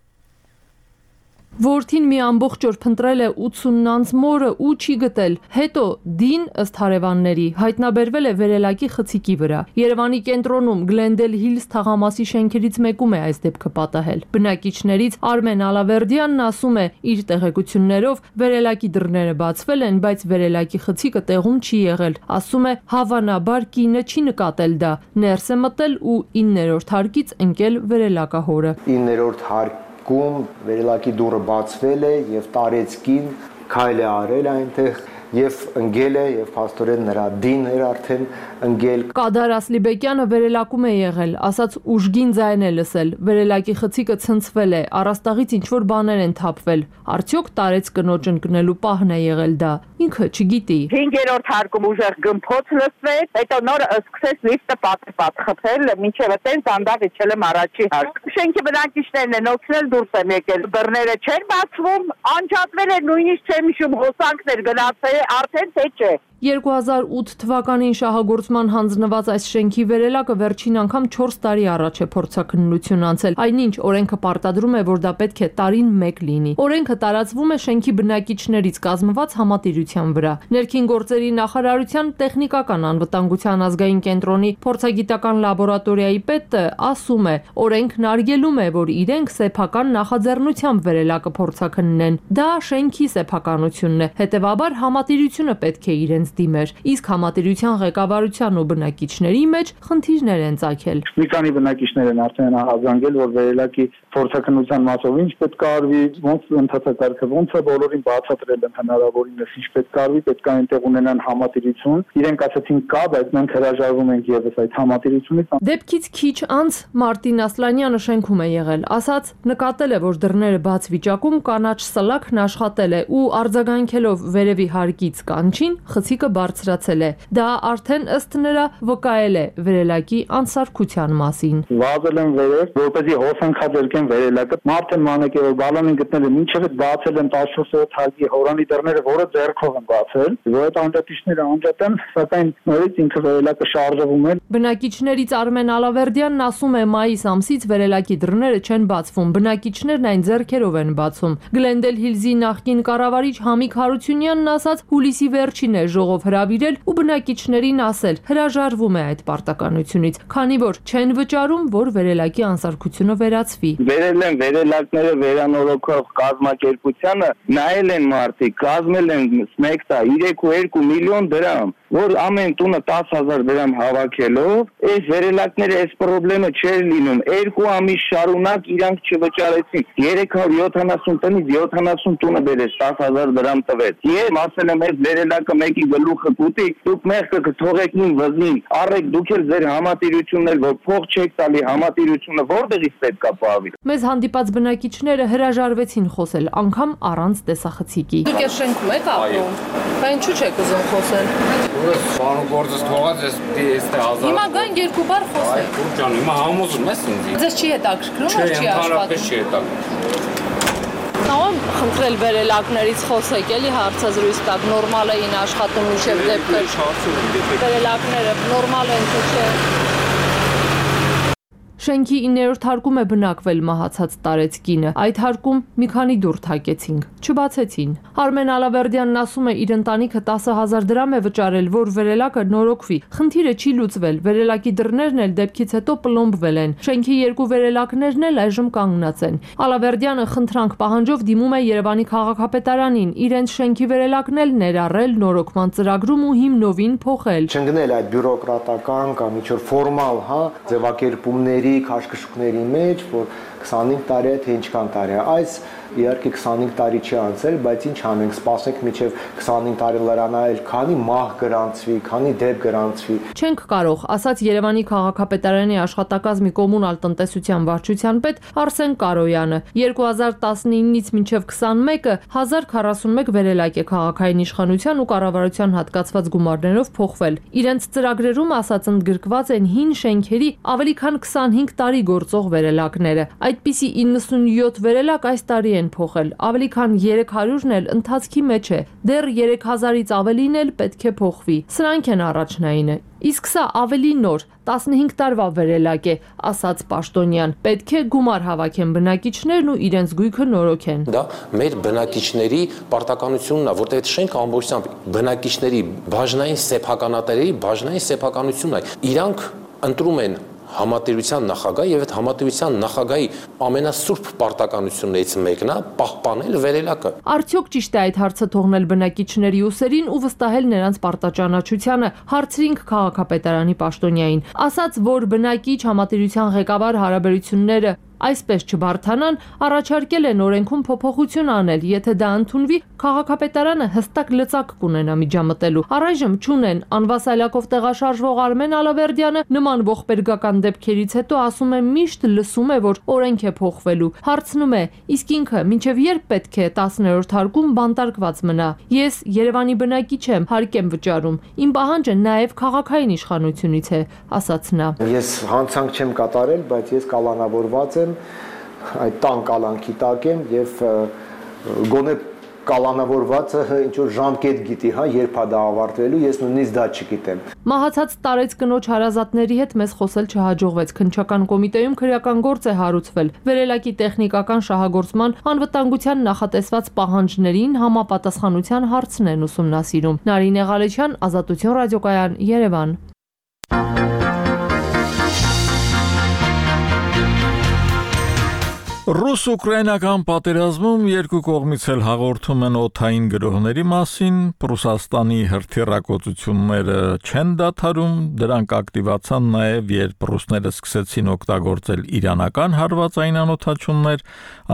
Որդին մի ամբողջ օր փնտրել է ութսուն անց մորը ու չի գտել։ Հետո դին ըստ հարևանների հայտնաբերվել է վերելակի խցիկի վրա։ Երևանի կենտրոնում Գլենդել Հիլզ թաղամասի շենքերից մեկում է այս դեպքը պատահել։ Բնակիչներից Արմեն Ալավերդյանն ասում է, իր տեղեկություններով վերելակի դռները բացվել են, բայց վերելակի խցիկը տեղում չի եղել։ Ասում է, հավանաբար կինը չի նկատել դա, ներս է մտել ու իններորդ հարկից ընկել վերելակահորը։ իններորդ հարկ Գում վերելակի դուռը բացվել է եւ տարեցկին քայլ է արել այնտեղ եւ ընկել է եւ փաստորեն նրա դին էր արդեն ընկել։ Կադար Ասլիբեկյանը վերելակում է եղել, ասաց ուժգին ձայն է լսել, վերելակի խցիկը ցնցվել է, առաստաղից ինչ որ բաներ են թափվել։ Արդյոք տարեց կնոջ ընկնելու պահն է եղել դա։ Ինքը չգիտի։ Հինգերորդ հարկում ուժեղ գմփոց լսվեց, հետո նոր սկսեց լիֆտը պատրպատ խփել, մինչև այդտենց անդավ իջել եմ առաջի հարկ։ Շենքի բնակիչներն են օգնել դուրս են եկել։ Դռները չեն բացվում, անջատվել է նույնիսկ չեմ հիշում հոսանքներ գնացել արդեն թե չէ։ երկու հազար ութ թվականին շահագործման հանձնված այս շենքի վերելակը վերջին անգամ չորս տարի առաջ է փորձաքննություն անցել, այնինչ օրենքը պարտադրում է, որ դա պետք է տարին մեկ լինի։ Օրենքը տարածվում է շենքի բնակիչներից կազմված համատիրության վրա։ Ներքին գործերի նախարարության տեխնիկական անվտանգության ազգային կենտրոնի փորձագիտական լաբորատորիայի պետը ասում է, օրենքն արգելում է, որ իրենք սեփական նախաձեռնությամբ վերելակը փորձաքննեն։ Դա շենքի սեփականությունն է, հետևաբար համատիրությունը պետք է իրենց դիմեր, իսկ համատիրության ղեկավարության ու բնակիչների մեջ խնդիրներ են ծագել։ Մի քանի բնակիչներ են արդեն ահազանգել, որ վերելակի փորձաքննության մասով ինչ պետք է արվի, ոնց ընդհանրակարգը ոնց է բոլորին բացատրել են հնարավորինս ինչ պետք է արվի, պետք է այնտեղ ունենան համատիրություն։ Իրենք ասացին կա, բայց մենք հրաժարվում ենք եւս այդ համատիրությունից։ Դեպքից քիչ անց Մարտին Ասլանյանը շենքում է եղել, ասաց նկատել է, որ դռները բաց վիճակում կանաչ սլաքն աշխատել է ու արձագանքելով վերևի հարկից կանչին խցիկը բարձրացել է։ Դա արդեն ըստ նրա վկայել է վերելակի անսարքության մասին։ Վազել են վերև, որպեսզի հոսանքաձերկեն վերելակը։ Մարդ են մանեկ է, որ բալոնին գտնել է, մինչև այդ բացել են տասնչորս հարկի հորանի դռները, որը ձեռքով են բացել։ Որ այդ անջատիչները անջատեն, սակայն նորից ինքը վերելակը շարժվում է։ Բնակիչներից Արմեն Ալավերդյանն ասում է, մայիս ամսից վերելակի դռները չեն բացվում, բնակիչներն այն ձեռքերով են բացում։ Գլենդել Հիլզի նախկին կառավարիչ Համիկ Հարությունյանն ասաց, հուլիսի վերջին է ժողով հրավիրել ու բնակիչներին ասել, հրաժարվում է այդ պարտականությունից, քանի որ չեն վճարում, որ վերելակի անսարքությունը վերացվի։ Վերել են վերելակները վերանորոգող կազմակերպությանը, նայել են մարդիկ, կազմել են մեկ տա երեք ու երկու միլիոն դրամ, որ ամեն տունը տասը հազար դրամ հավաքելով այս վերելակները այս խնդրը չէր լինում։ Երկու ամիս շարունակ իրանք չվճարեցին։ երեք հարյուր յոթանասուն տնից յոթանասուն տունը բերեց տասը հազար դրամ տվեց։ Ես ասել եմ այս վերելակը մեկի գլուխը կուտի, դուք մեղքը կթողեք ին վզին, առեք դուք էլ ձեր համատիրությունն էլ որ փող չեք տալի, համատիրությունը որտեղից պետք է պահվի։ Մեզ հանդիպած բնակիչները հրաժարվեցին խոսել, անգամ առանց տեսախցիկի։ Դուք այս շենքում եք ապրում, բա ինչու չեք ուզում խոսել։ Ուրս բանու գործս թողած ես դե հազար։ Հիմա գան երկու բառ խոսեք։ Այ ջան, հիմա համոզում ես ինձ։ Ձեզ չի հետաքրքրում, որ չի աշխատում։ Չի հետաքրքրում։ Կարող խնդրել վերելակներից խոսեք, էլի հարցազրույց տակ, նորմալ էին աշխատում մինչև դեպքը։ Վերելակները նորմալ են թե չէ։ Շենքի իններորդ հարկում է բնակվել մահացած տարեց կինը։ Այդ հարկում մի քանի դուռ թակեցինք, չբացեցին։ Արմեն Ալավերդյանն ասում է, իր ընտանիքը տասը հազար դրամ է վճարել, որ վերելակը նորոգվի։ Խնդիրը չի լուծվել, վերելակի դռներն էլ դեպքից հետո պլոմբվել են։ Շենքի երկու վերելակներն էլ այժմ կանգնած են։ Ալավերդյանը խնդրանք պահանջով դիմում է Երևանի քաղաքապետարանին, իրենց շենքի վերելակն էլ ներառել նորոգման ծրագրում ու հիմնովին փոխել։ Չընկնել այդ բյուրոկրատական կամ ինչ-որ ֆորմալ, հա, ձևակերպումների քաշքշուկների մեջ, որ քսանհինգ տարի է թե ինչքան տարի է, այս իհարկե քսանհինգ տարի չի անցել, բայց ինչ անենք, սպասենք մինչև քսանհինգ տարի լրանայել, քանի մահ գրանցվի, քանի դեպք գրանցվի։ Չենք կարող, ասաց Երևանի քաղաքապետարանի աշխատակազմի կոմունալ տնտեսության վարչության պետ Արսեն Կարոյանը։ երկու հազար տասնինից մինչև քսանմեկը հազար քառասունմեկ վերելակ է քաղաքային իշխանության ու կառավարության հատկացված գումարներով փոխվել։ Իրենց ծրագրերում ասած ընդգրկված են հին շենքերի ավելի քան քսանհինգ տարի գործող վերելակները։ Այդպիսի իննսունյոթ վերելակ այս տարի են փոխել, ավելի քան երեք հարյուրն էլ ընթացքի մեջ է, դեռ երեք հազարից ավելին էլ պետք է փոխվի։ Սրանք են առաջնայինը։ Իսկ սա ավելի նոր, տասնհինգ տարվա վերելակ է, ասաց Պաշտոնյան։ Պետք է գումար հավաքեն բնակիչներն ու իրենց գույքը նորոգեն։ Դա մեր բնակիչների պարտականությունն է, որտեղ այդ շենքը ամբողջությամբ բնակիչների բաժնային սեփականատերերի բաժնային սեփականությունն է։ Իրանք ընտրում են համատիրության նախագահ եւ այդ համատիրության նախագահի ամենասուրբ պարտականություններից մեկն է պահպանել վերելակը։ Արդյոք ճիշտ է այդ հարցը թողնել բնակիչների ուսերին ու վստահել նրանց պարտաճանաչությանը, հարցրինք քաղաքապետարանի պաշտոնյային։ Ասաց, որ բնակիչ համատիրության ղեկավար հարաբերությունները այսպես չբարթանան, առաջարկել են օրենքում փոփոխություն անել, եթե դա ընդունվի, քաղաքապետարանը հստակ լծակ կունենա միջամտելու։ Առայժմ չունեն անվասայլակով տեղաշարժվող Արմեն Ալավերդյանը նման ողբերգական դեպքերից հետո ասում է միշտ լսում է, որ օրենք է փոխվելու։ Հարցնում է, իսկ ինքը մինչև երբ պետք է տասներորդ հարկում բանտարկված մնա։ Ես Երևանի բնակիչ եմ, հարկ եմ վճարում։ Իմ պահանջը նաև քաղաքային իշխանությունից է, ասաց նա։ Ես հանցանք չեմ կատարել, բայց ես կալանավորված եմ այդ տան կալանքի տակ եմ եւ գոնե կալանավորվածը ինչ որ ժամկետ գիտի, հա, երբ է դա ավարտվելու, ես նույնիսկ դա չգիտեմ։ Մահացած տարեց կնոջ հարազատների հետ մեզ խոսել չհաջողվեց։ Քննչական կոմիտեում քրեական գործ է հարուցվել։ Վերելակի տեխնիկական շահագործման անվտանգության նախատեսված պահանջներին համապատասխանության հարցն են ուսումնասիրում։ Նարինե Ղալեչյան, Ազատություն ռադիոկայան, Երևան։ Ռուս-ուկրաինական պատերազմում երկու կողմից էլ հաղորդում են օդային գրոհների մասին, Ռուսաստանի հրթիռակոծությունները չեն դադարում, դրանք ակտիվացան նաև, երբ ռուսները սկսեցին օգտագործել իրանական հարվածային անօդաչուններ,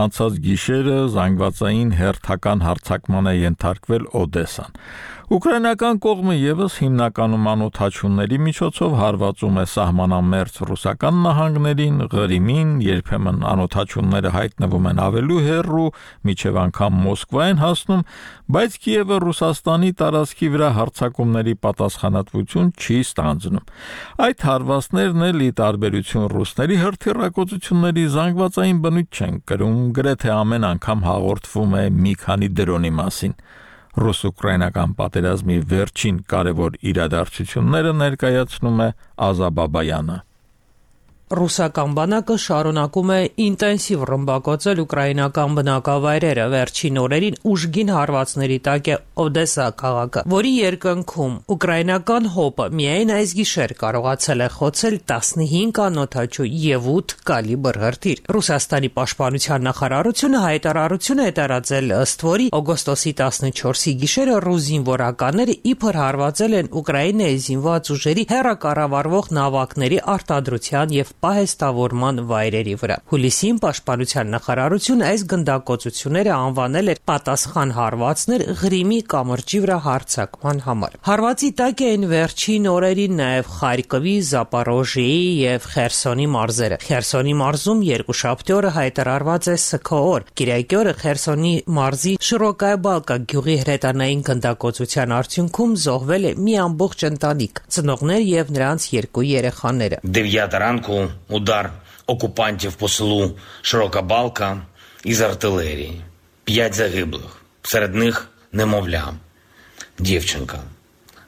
անցած գիշերը զանգվածային հերթական հարձակման է ենթարկվել Օդեսան։ Ուկրաինական կողմը եւս հիմնականում անօդաչունների միջոցով հարվածում է սահմանամերձ ռուսական նահանգներին, Ղրիմին, երբեմն անօդաչունները հայտնվում են ավելի հեռու, միջև անգամ Մոսկվա են հասնում, բայց Կիևը Ռուսաստանի տարածքի վրա հարձակումների պատասխանատվություն չի ստանձնում։ Այդ հարվածներն էլ ի տարբերություն ռուսների հրթիռակոծությունների զանգվածային բնույթ չեն կրում, գրեթե ամեն անգամ հաղորդվում է մի քանի դրոնի մասին։ Ռուս-ուկրաինական պատերազմի վերջին կարևոր իրադարձությունները ներկայացնում է Ազա Բաբայանը։ Ռուսական բանակը շարունակում է ինտենսիվ ռմբակոծել ուկրաինական բնակավայրերը, վերջին օրերին ուժգին հարվածների տակ է Օդեսա քաղաքը, որի երկնքում ուկրաինական հոպը միայն այս գիշեր կարողացել է խոցել տասնհինգ անօդաչու և ութ կալիբր հրթիռ։ Ռուսաստանի պաշտպանության նախարարությունը հայտարարություն է տարածել, ըստ որի օգոստոսի տասնչորսի գիշերը ռուս զինվորականները իբր հարվածել են Ուկրաինայի զինված ուժերի հեռակառավարվող նավակների արտադրության և պահեստավորման վայրերի վրա։ Հուլիսին պաշտպանության նախարարությունը այս գնդակոծությունները անվանել էր պատասխան հարվածներ Ղրիմի կամրջի վրա հարձակման համար։ Հարվածի տակ էին վերջին օրերին նաև Խարկովի, Զապորոժիեի և Խերսոնի մարզերը։ Խերսոնի մարզում երկուշաբթի օրը հայտարարված է սգո օր։ Կիրակի օրը Խերսոնի մարզի Շիրոկայա Բալկա գյուղի հրետանային գնդակոծության արդյունքում զոհվել է մի ամբողջ ընտանիք, ծնողներ և նրանց երկու երեխաները։ дев'ята ранку удар окупантів по селу Широка Балка із артилерії. П'ять загиблих. Серед них немовля. Дівчинка.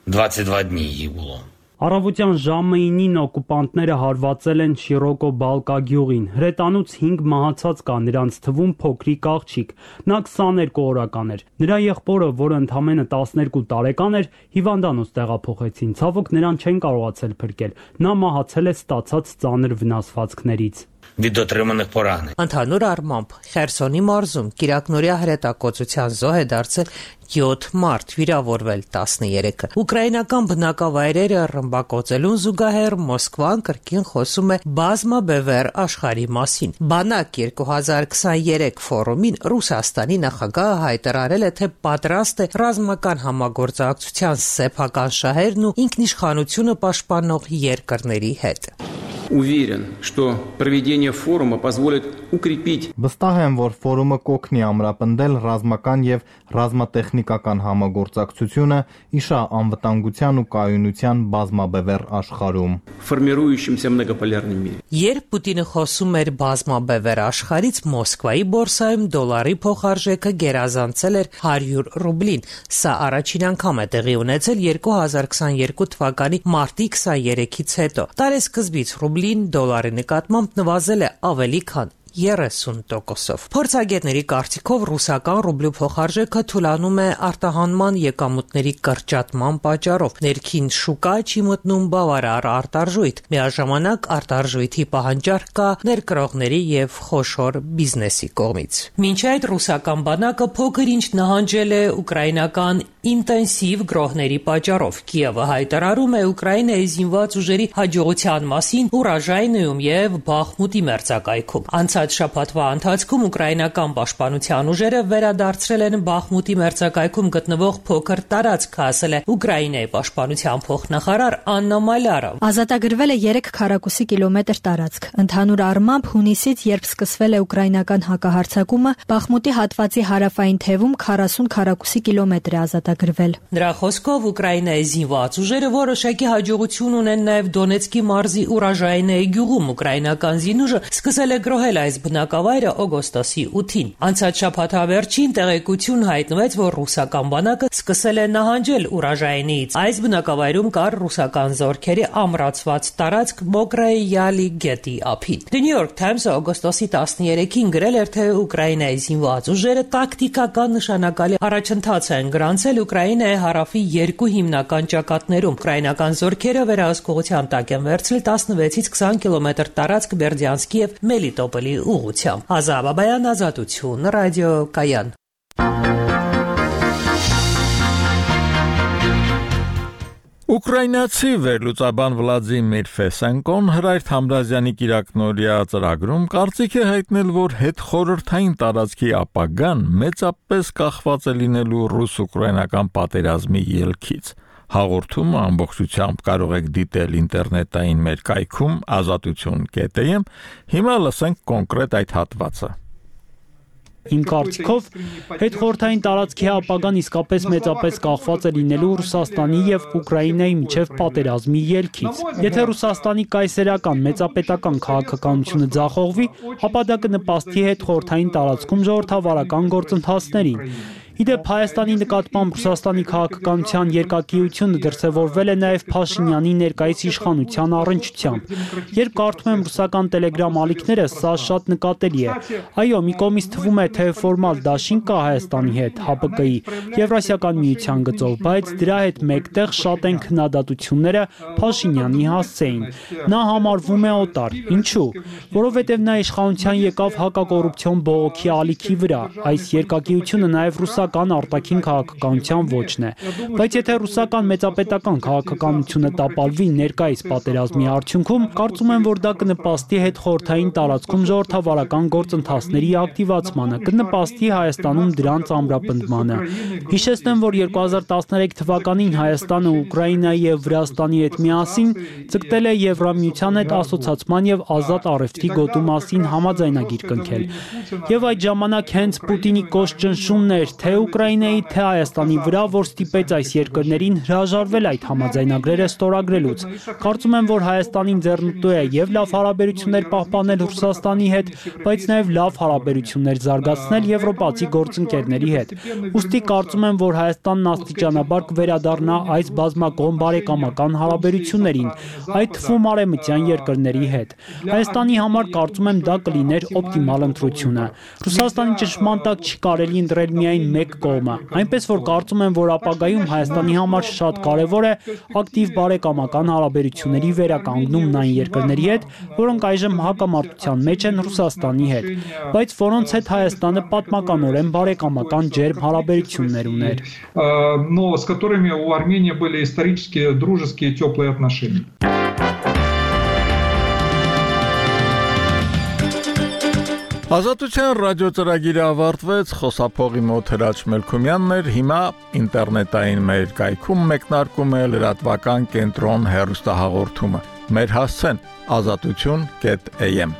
двадцять два дні їй було. Առավոտյան ժամը ինին օկուպանտները հարվածել են Շիրոկո Բալկա գյուղին։ Հրետանուց հինգ մահացած կա, նրանց թվում փոքրիկ աղջիկ։ Նա քսաներկու օրական էր։ Նրա եղբորը, որը ընդամենը տասներկու տարեկան էր, հիվանդանոց տեղափոխեցին։ Ցավոք նրան չեն կարողացել փրկել։ Նա մահացել է ստացած ծանր վնասվածքներից։ Від отриманих поранень. Ընդհանուր առմամբ Խերսոնի մարզում կիրակնորյա հրետակոծության զոհ է դարձել յոթ մարդ, վիրավորվել տասներեքը։ Ուկրաինական բնակավայրերը ռմբակոծելուն զուգահեռ Մոսկվան կրկին խոսում է բազմաբևեռ աշխարհի մասին։ Բանակ երկու հազար քսաներեք ֆորումին Ռուսաստանի նախագահը հայտարարել է, թե պատրաստ է ռազմական համագործակցության սեփական շահերն ու ինքնիշխանությունը պաշտպանող երկրների հետ։ Уверен, что проведение форума позволит укрепить. Վստահ եմ, որ ֆորումը կօգնի ամրապնդել ռազմական եւ ռազմատեխնիկական համագործակցությունը իշա անվտանգության ու կայունության բազմաբևեռ աշխարհում։ Формирующемся многополярном мире. Երբ Պուտինը խոսում էր բազմաբևեռ աշխարհից, Մոսկվայի բորսայում դոլարի փոխարժեքը գերազանցել էր հարյուր ռուբլին։ Սա առաջին անգամ է տեղի ունեցել երկու հազար քսաներկու թվականի մարտի քսաներեքից հետո։ Տարեսկզբից ռուբլին դոլարի նկատմամբ նվազել է ավելի քան երեսուն տոկոսով։ Փորձագետների կարծիքով ռուսական ռուբլու փոխարժեքը թուլանում է արտահանման եկամուտների կրճատման պատճառով։ Ներքին շուկա չի մտնում բավարար արտարժույթ։ Միաժամանակ արտարժույթի պահանջարկ կա ներկրողների եւ խոշոր բիզնեսի կողմից։ Մինչ այդ ռուսական բանակը փոքր ինչ նահանջել է ուկրաինական ինտենսիվ գրոհների պատճառով։ Կիևը հայտարարում է Ուկրաինայի զինված ուժերի հաջողության մասին Ուրաժայնիում եւ Բախմուտի մերձակայքում։ Անցած շաբաթվա ընթացքում ուկրաինական պաշտպանության ուժերը վերադարձրել են Բախմուտի մերձակայքում գտնվող փոքր տարածք, ասել է Ուկրաինայի պաշտպանության փոխնախարար Աննա Մալյարը։ Ազատագրվել է երեք քառակուսի կիլոմետր տարածք։ Ընդհանուր առմամբ հունիսից, երբ սկսվել է ուկրաինական հակահարձակումը, Բախմուտի հատվածի հարավային թևում քառասուն քառակուսի կիլոմետր է ազատագրվել։ Նրա խոսքով Ուկրաինայի զինված ուժերը որոշակի հաջողություն ունեն նաև Դոնեցկի մարզի Ուրաժայնեի գյուղում։ Ուկրաինական զինուժը սկսել է գրոհել այս բնակավայրը օգոստոսի ութին։ Անցած շաբաթավերջին տեղեկություն հայտնվեց, որ ռուսական բանակը սկսել է նահանջել Ուրաժայնիից։ Այս բնակավայրում կար ռուսական զորքերի ամրացված տարածք Մոկրայի Յալի գետի ափին։ The New York Times-ը օգոստոսի տասներեքին գրել էր, թե Ուկրաինայի զինված ուժերը տակտիկական նշանակալի առաջընթաց են գրանցել Ուկրաինայի հարավի երկու հիմնական ճակատներում։ Ուկրաինական զորքերը վերահսկողության տակ են վերցրել տասնվեցից քսան կիլոմետր տարածք Բերդյանսկի եւ Մելիտոպոլի ուղղությամբ։ Ազատ Բաբայան, Ազատություն, ռադիո Կայան։ Ուկրաինացի վերլուծաբան Վլադիմիր Ֆեսենկոն Հրայր Թամրազյանի կիրակնօրյա ծրագրում կարծիք է հայտնել, որ հետխորհրդային տարածքի ապագան մեծապես կախված է լինելու ռուս-ուկրաինական պատերազմի ելքից։ Հաղորդումը ամբողջությամբ կարող եք դիտել ինտերնետային մեր կայքում ազատություն կետ էմ։ Հիմա լսենք կոնկրետ այդ հատվածը։ Իմ կարծիքով հետխորհրդային տարածքի ապագան իսկապես մեծապես կախված է լինելու Ռուսաստանի եւ Ուկրաինայի միջև պատերազմի ելքից։ Եթե Ռուսաստանի կայսերական մեծապետական քաղաքականությունը ձախողվի, ապա դա կնպաստի հետխորհրդային տարածքում ժողովրդավարական գործընթացներին։ Իդեպ Հայաստանի նկատմամբ Ռուսաստանի քաղաքականության երկակիությունը դրսևորվել է նաև Փաշինյանի ներկայիս իշխանության առնչությամբ։ Երբ կարդում եմ ռուսական Telegram ալիքները, սա շատ նկատելի է։ Այո, մի կողմից թվում է, թե ֆորմալ դաշինք կա Հայաստանի հետ, Հ П Կ-ի, Եվրասիական միության գծով, բայց դրա հետ մեկտեղ շատ են քննադատությունները Փաշինյանի հասցեին։ Նա համարվում է օտար։ Ինչու՞։ Որովհետև նա իշխանության եկավ հակակոռուպցիոն բողոքի ալիքի վրա։ Այս երկակիությունը նաև ռուսական արտաքին քաղաքականության ոճն է։ Բայց եթե ռուսական մեծապետական քաղաքականությունը տապալվի ներկայիս պատերազմի արդյունքում, կարծում եմ, որ դա կնպաստի հետխորհրդային տարածքում ժողովրդավարական գործընթացների ակտիվացմանը, կնպաստի Հայաստանում դրանց ամրապնդմանը։ Հիշեցնեմ, որ երկու հազար տասներեք թվականին Հայաստանը Ուկրաինայի եւ Վրաստանի հետ միասին ցկտել է Եվրամիության հետ ասոցացման եւ ազատ առևտրի գոտու մասին համաձայնագիր կնքել։ Եվ այդ ժամանակ հենց Պուտինի կոշտ ճնշումն էր թե Ուկրաինայի, թե Հայաստանի վրա, որ ստիպեց այս երկրներին հրաժարվել այդ համաձայնագրերը ստորագրելուց։ Կարծում եմ, որ Հայաստանին ձեռնտու է եւ լավ հարաբերություններ պահպանել Ռուսաստանի հետ, բայց նաեւ լավ հարաբերություններ զարգացնել եվրոպացի գործընկերների հետ։ Ուստի կարծում եմ, որ Հայաստանն աստիճանաբար կվերադառնա այս բազմակողմ բարեկամական հարաբերություններին, այդ թվում արևմտյան երկրների հետ։ Հայաստանի համար կարծում եմ դա կլիներ օպտիմալ ընտրությունը։ Ռուսաստանի ճնշման տակ չի կարելի ընտրել միայն մեկ կողմը, այնպես որ կարծում եմ, որ ապագայում Հայաստանի համար շատ կարևոր է ակտիվ բարեկամական հարաբերությունների վերականգնումն այն երկրների հետ, որոնք այժմ հակամարտության մեջ են Ռուսաստանի հետ, բայց որոնց հետ Հայաստանը պատմականորեն բարեկամական ջերմ հարաբերություններ ուներ։ Но с которыми у Армении были исторические, дружеские, теплые отношения. Ազատության ռադիոծրագիրը ավարտվեց, խոսափողի մոտ Հրաչ Մելքումյանն էր, հիմա ինտերնետային մեր կայքում մեկնարկում է լրատվական կենտրոն հեռուստահաղորդումը։ Մեր հասցեն ազատություն կետ էյ էմ